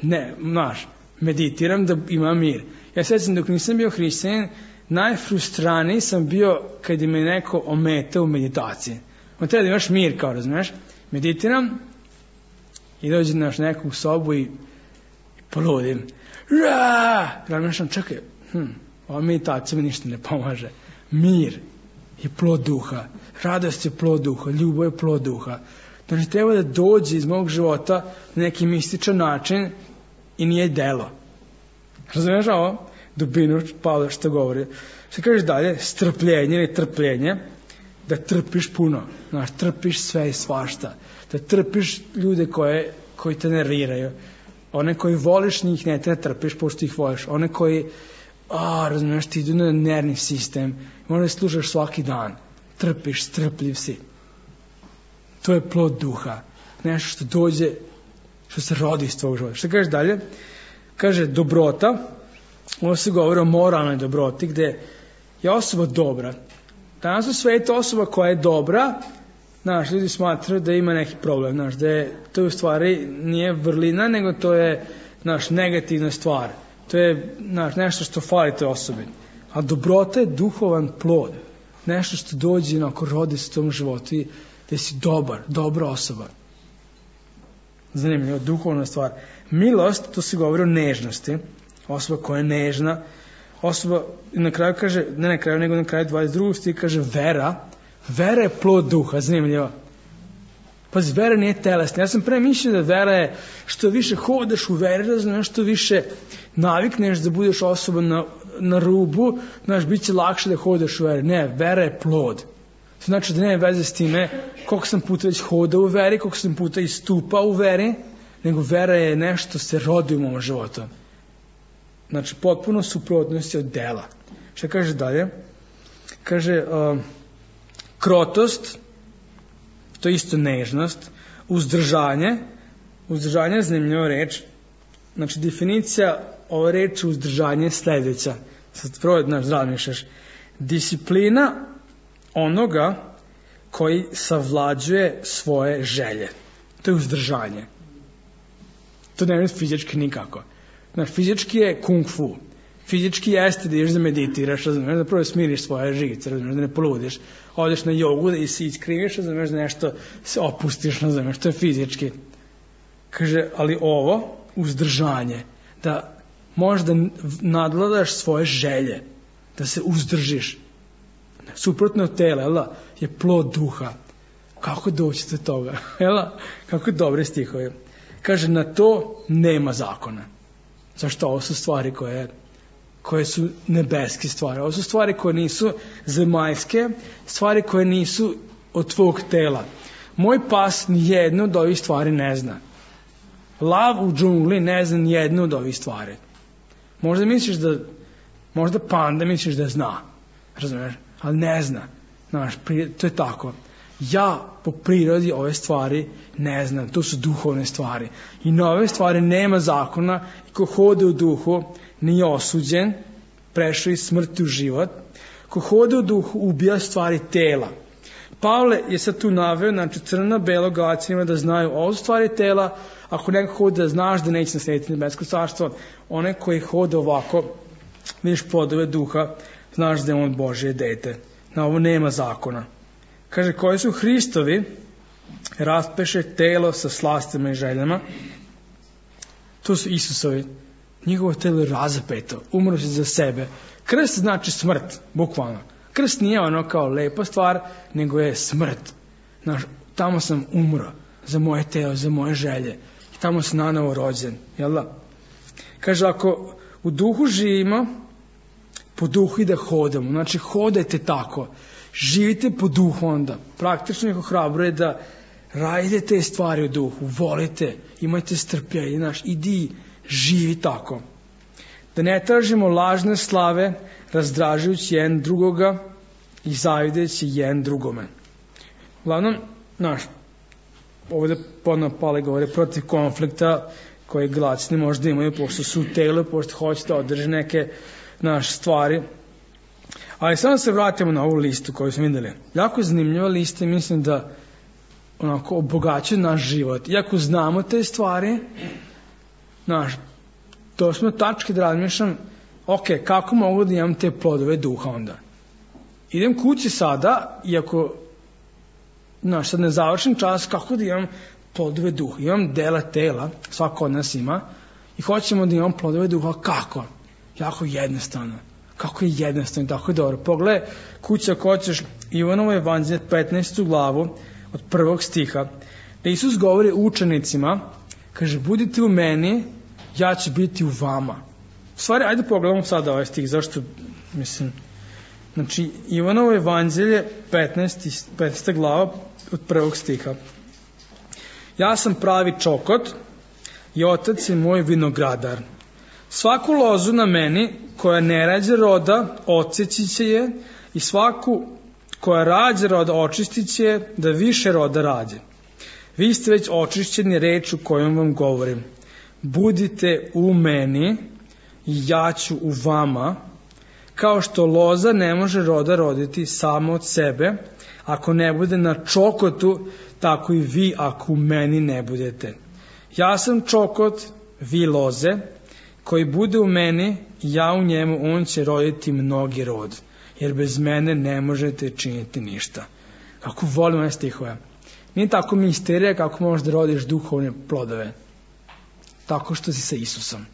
ne, znaš, meditiram da imam mir. Ja sećam dok nisam bio hrišćanin, najfrustraniji sam bio kad je me neko ometao u meditaciji. On treba da imaš mir, kao razumiješ. Meditiram i dođem naš neku sobu i, i poludim. Razmišljam, čekaj, hm, ova meditacija mi ništa ne pomaže. Mir je plod duha, radost je plod duha, ljubav je plod duha. Znači treba da dođe iz mog života na neki mističan način i nije delo. Razumiješ ovo? Dubinu Pavla što govori. Što kažeš dalje? Strpljenje ili trpljenje. Da trpiš puno. Znaš, trpiš sve i svašta. Da trpiš ljude koje, koji te nerviraju. One koji voliš njih ne te trpiš pošto ih voliš. One koji, a, razumiješ, ti idu na nervni sistem. Možda slušaš svaki dan. Trpiš, strpljiv si. To je plod duha. Nešto što dođe, što se rodi iz tvojeg života. Što kažeš dalje? Kaže, dobrota, ovo se govori o moralnoj dobroti, gde je osoba dobra. Danas u svetu osoba koja je dobra, znaš, ljudi smatraju da ima neki problem, znaš, da je, to u stvari nije vrlina, nego to je, znaš, negativna stvar. To je, znaš, nešto što fali toj osobi. A dobrota je duhovan plod. Nešto što dođe, onako, rodi se u tom životu i da si dobar, dobra osoba. Zanimljivo, duhovna stvar. Milost, to se govori o nežnosti. Osoba koja je nežna. Osoba, na kraju kaže, ne na kraju, nego na kraju dvadeset drugog stiha kaže vera. Vera je plod duha, zanimljivo. Pazi, vera nije telesna. Ja sam pre mislio da vera je što više hodaš u veri, razumiješ, što više navikneš da budeš osoba na, na rubu, znaš, bit će lakše da hodaš u veri. Ne, vera je plod. To znači da nema veze s time koliko sam puta već hodao u veri, koliko sam puta istupao u veri, nego vera je nešto se rodi u mom životu. Znači, potpuno suprotnosti od dela. Šta kaže dalje? Kaže, uh, krotost, to je isto nežnost, uzdržanje, uzdržanje je zanimljiva reč, znači definicija ove reči uzdržanje je sledeća, sad prvo, znaš, razmišljaš, disciplina onoga koji savlađuje svoje želje, to je uzdržanje, to ne je fizički nikako, znaš, fizički je kung fu, fizički jeste da ideš da meditiraš, razumiješ, da prvo smiriš svoje živice, razumiješ, da ne poludiš, odeš na jogu da se iskriviš, razumiješ, da nešto se opustiš, razumiješ, to je fizički. Kaže, ali ovo, uzdržanje, da možeš da nadvladaš svoje želje, da se uzdržiš, suprotno od tela, jel, je plod duha. Kako doći do toga? Jel, kako dobre stihove. Kaže, na to nema zakona. Zašto? Ovo su stvari koje koje su nebeske stvari. Ovo su stvari koje nisu zemaljske, stvari koje nisu od tvog tela. Moj pas nijednu od ovih stvari ne zna. Lav u džungli ne zna nijednu od ovih stvari. Možda misliš da, možda panda misliš da zna, razumiješ, ali ne zna. Znaš, to je tako. Ja po prirodi ove stvari ne znam, to su duhovne stvari. I na ove stvari nema zakona i ko hode u duhu nije osuđen, prešao iz smrti u život. Ko hode u duhu ubija stvari tela. Pavle je sad tu naveo, znači crno, belo, Galaćanima da znaju ovo stvari tela. Ako neko hode da znaš da neće naslediti nebesko carstvo, onaj koji hode ovako, vidiš plodove duha, znaš da je on Božje dete. Na ovo nema zakona. Kaže, koji su Hristovi, raspeše telo sa slastima i željama. To su Isusovi. Njegovo telo je razapeto, umro se za sebe. Krst znači smrt, bukvalno. Krst nije ono kao lepa stvar, nego je smrt. Znaš, tamo sam umro za moje telo, za moje želje. I tamo sam nanovo rođen. Jel da? Kaže, ako u duhu živimo, po duhu i da hodamo. Znači, hodajte tako. Živite po duhu onda. Praktično ih ohrabruje da radite te stvari u duhu. Volite, imajte strpljenje. Znaš, idi, živi tako. Da ne tražimo lažne slave, razdražujući jedan drugoga i zavideći jedan drugome. Uglavnom, znaš, ovdje ponovno Pavle govore protiv konflikta koje Galaćani možda imaju, pošto su u telu, pošto hoće da održe neke naše stvari. Ali samo se vratimo na ovu listu koju smo videli. Jako zanimljiva lista i mislim da onako obogaćuje naš život. Iako znamo te stvari, znaš, to smo tačke da razmišljam, ok, kako mogu da imam te plodove duha onda? Idem kući sada, iako, znaš, sad ne završim čas, kako da imam plodove duha? Imam dela tela, svako od nas ima, i hoćemo da imam plodove duha, kako? Jako jednostavno. Kako je jednostavno, tako je dobro. Pogledaj kuća ako hoćeš Ivanovo evanđelje petnaestu glavu od prvog stiha, da Isus govori učenicima, kaže, budite u meni, ja ću biti u vama. U stvari, ajde pogledamo sada ovaj stih, zašto, mislim, znači, Ivanovo evanđelje petnaesta glava od prvog stiha. Ja sam pravi čokot i otac je moj vinogradar. Svaku lozu na meni koja ne rađa roda, odseći će je, i svaku koja rađa roda, očistit će je, da više roda rađe. Vi ste već očišćeni rečju kojom vam govorim. budite u meni i ja ću u vama, kao što loza ne može roda roditi samo od sebe, ako ne bude na čokotu, tako i vi ako u meni ne budete. Ja sam čokot, vi loze, koji bude u meni, ja u njemu, on će roditi mnogi rod, jer bez mene ne možete činiti ništa. Kako volim ove stihove. Nije tako misterija kako možeš da rodiš duhovne plodove. Tako što si sa Isusom.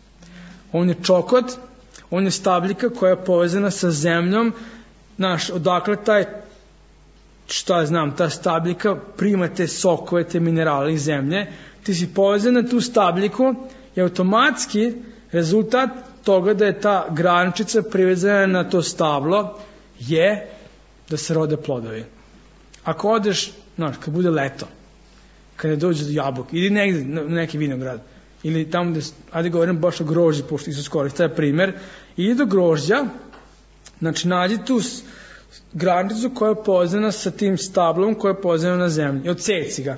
On je čokot, on je stabljika koja je povezana sa zemljom. Znaš, odakle taj, šta znam, ta stabljika prima te sokove, te minerale iz zemlje. Ti si povezan na tu stabljiku i automatski rezultat toga da je ta grančica privezana na to stablo je da se rode plodovi. Ako odeš, znaš, kad bude leto, kada dođe do jabuke, ili negde, na neki vinograd, ili tamo gde, ajde govorim baš o grožđi, pošto Isus koristi taj primer, ili do grožđa, znači nađi tu grančicu koja je povezana sa tim stablom koja je povezana na zemlji, i odseci ga.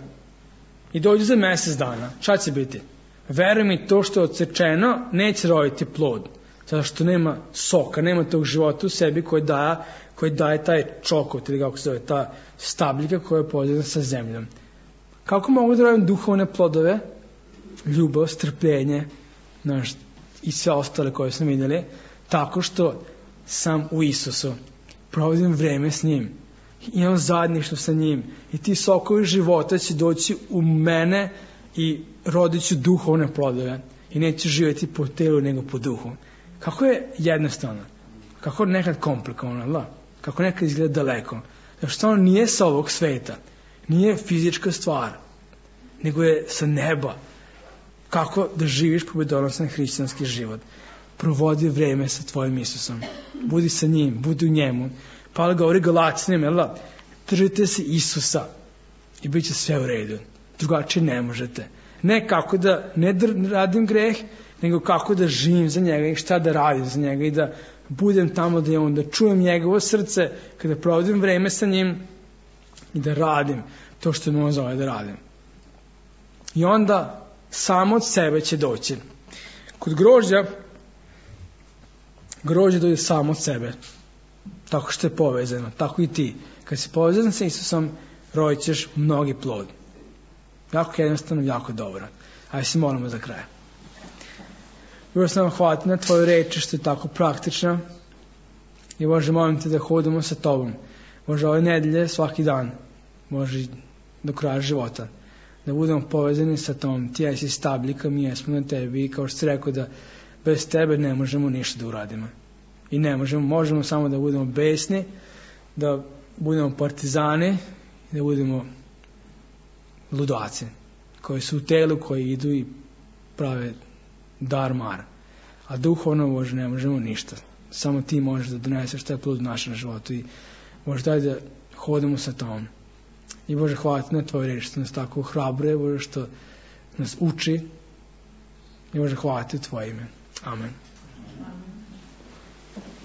I dođe za mesec dana. Šta će biti? Veruj mi, to što je odsečeno neće roditi plod, zato što nema soka, nema tog života u sebi koji daje, koji daje taj čokot, ili kako se zove, ta stabljika koja je povezana sa zemljom. Kako mogu da radim duhovne plodove? Ljubav, strpljenje, znaš, i sve ostale koje smo vidjeli, tako što sam u Isusu, provodim vreme s njim, imam zajedništvo sa njim i ti sokovi života će doći u mene i rodit ću duhovne plodove i neću živjeti po telu nego po duhu. Kako je jednostavno, kako nekad komplikovano, la? Kako nekad izgleda daleko, zato što ono nije sa ovog sveta, nije fizička stvar, nego je sa neba. Kako da živiš pobedonosan hrišćanski život? Provodi vreme sa tvojim Isusom, budi sa njim, budi u njemu. Pavle govori Galaćanima, jel da? Držite se Isusa i bit će sve u redu. Drugačije ne možete. Ne kako da ne radim greh, nego kako da živim za njega i šta da radim za njega i da budem tamo da je on, da čujem njegovo srce kada provodim vreme sa njim i da radim to što me on zove da radim. I onda samo od sebe će doći. Kod grožđa, grožđe dođe samo od sebe. Tako što je povezano, tako i ti. Kad si povezan sa Isusom, rodit ćeš mnogi plod. Jako jednostavno, jako dobro. Ajde se molimo za kraj. Bože, sam vam hvala na tvoju reči što je tako praktična. I Bože, molim te da hodimo sa tobom. Bože, ove nedelje, svaki dan. Bože, do kraja života. Da budemo povezani sa tom. Ti jesi stabljika, mi jesmo na tebi. I kao što si rekao da bez tebe ne možemo ništa da uradimo. I ne možemo, možemo samo da budemo besni, da budemo partizani, da budemo ludaci, koji su u telu, koji idu i prave dar-mar. A duhovno, Bože, ne možemo ništa. Samo ti možeš da doneseš taj plod u našem životu i Bože, daj da hodimo sa tom. I Bože, hvala ti na tvoj reč, što nas tako hrabre, Bože, što nas uči. I Bože, hvala ti u tvoje ime. Amen.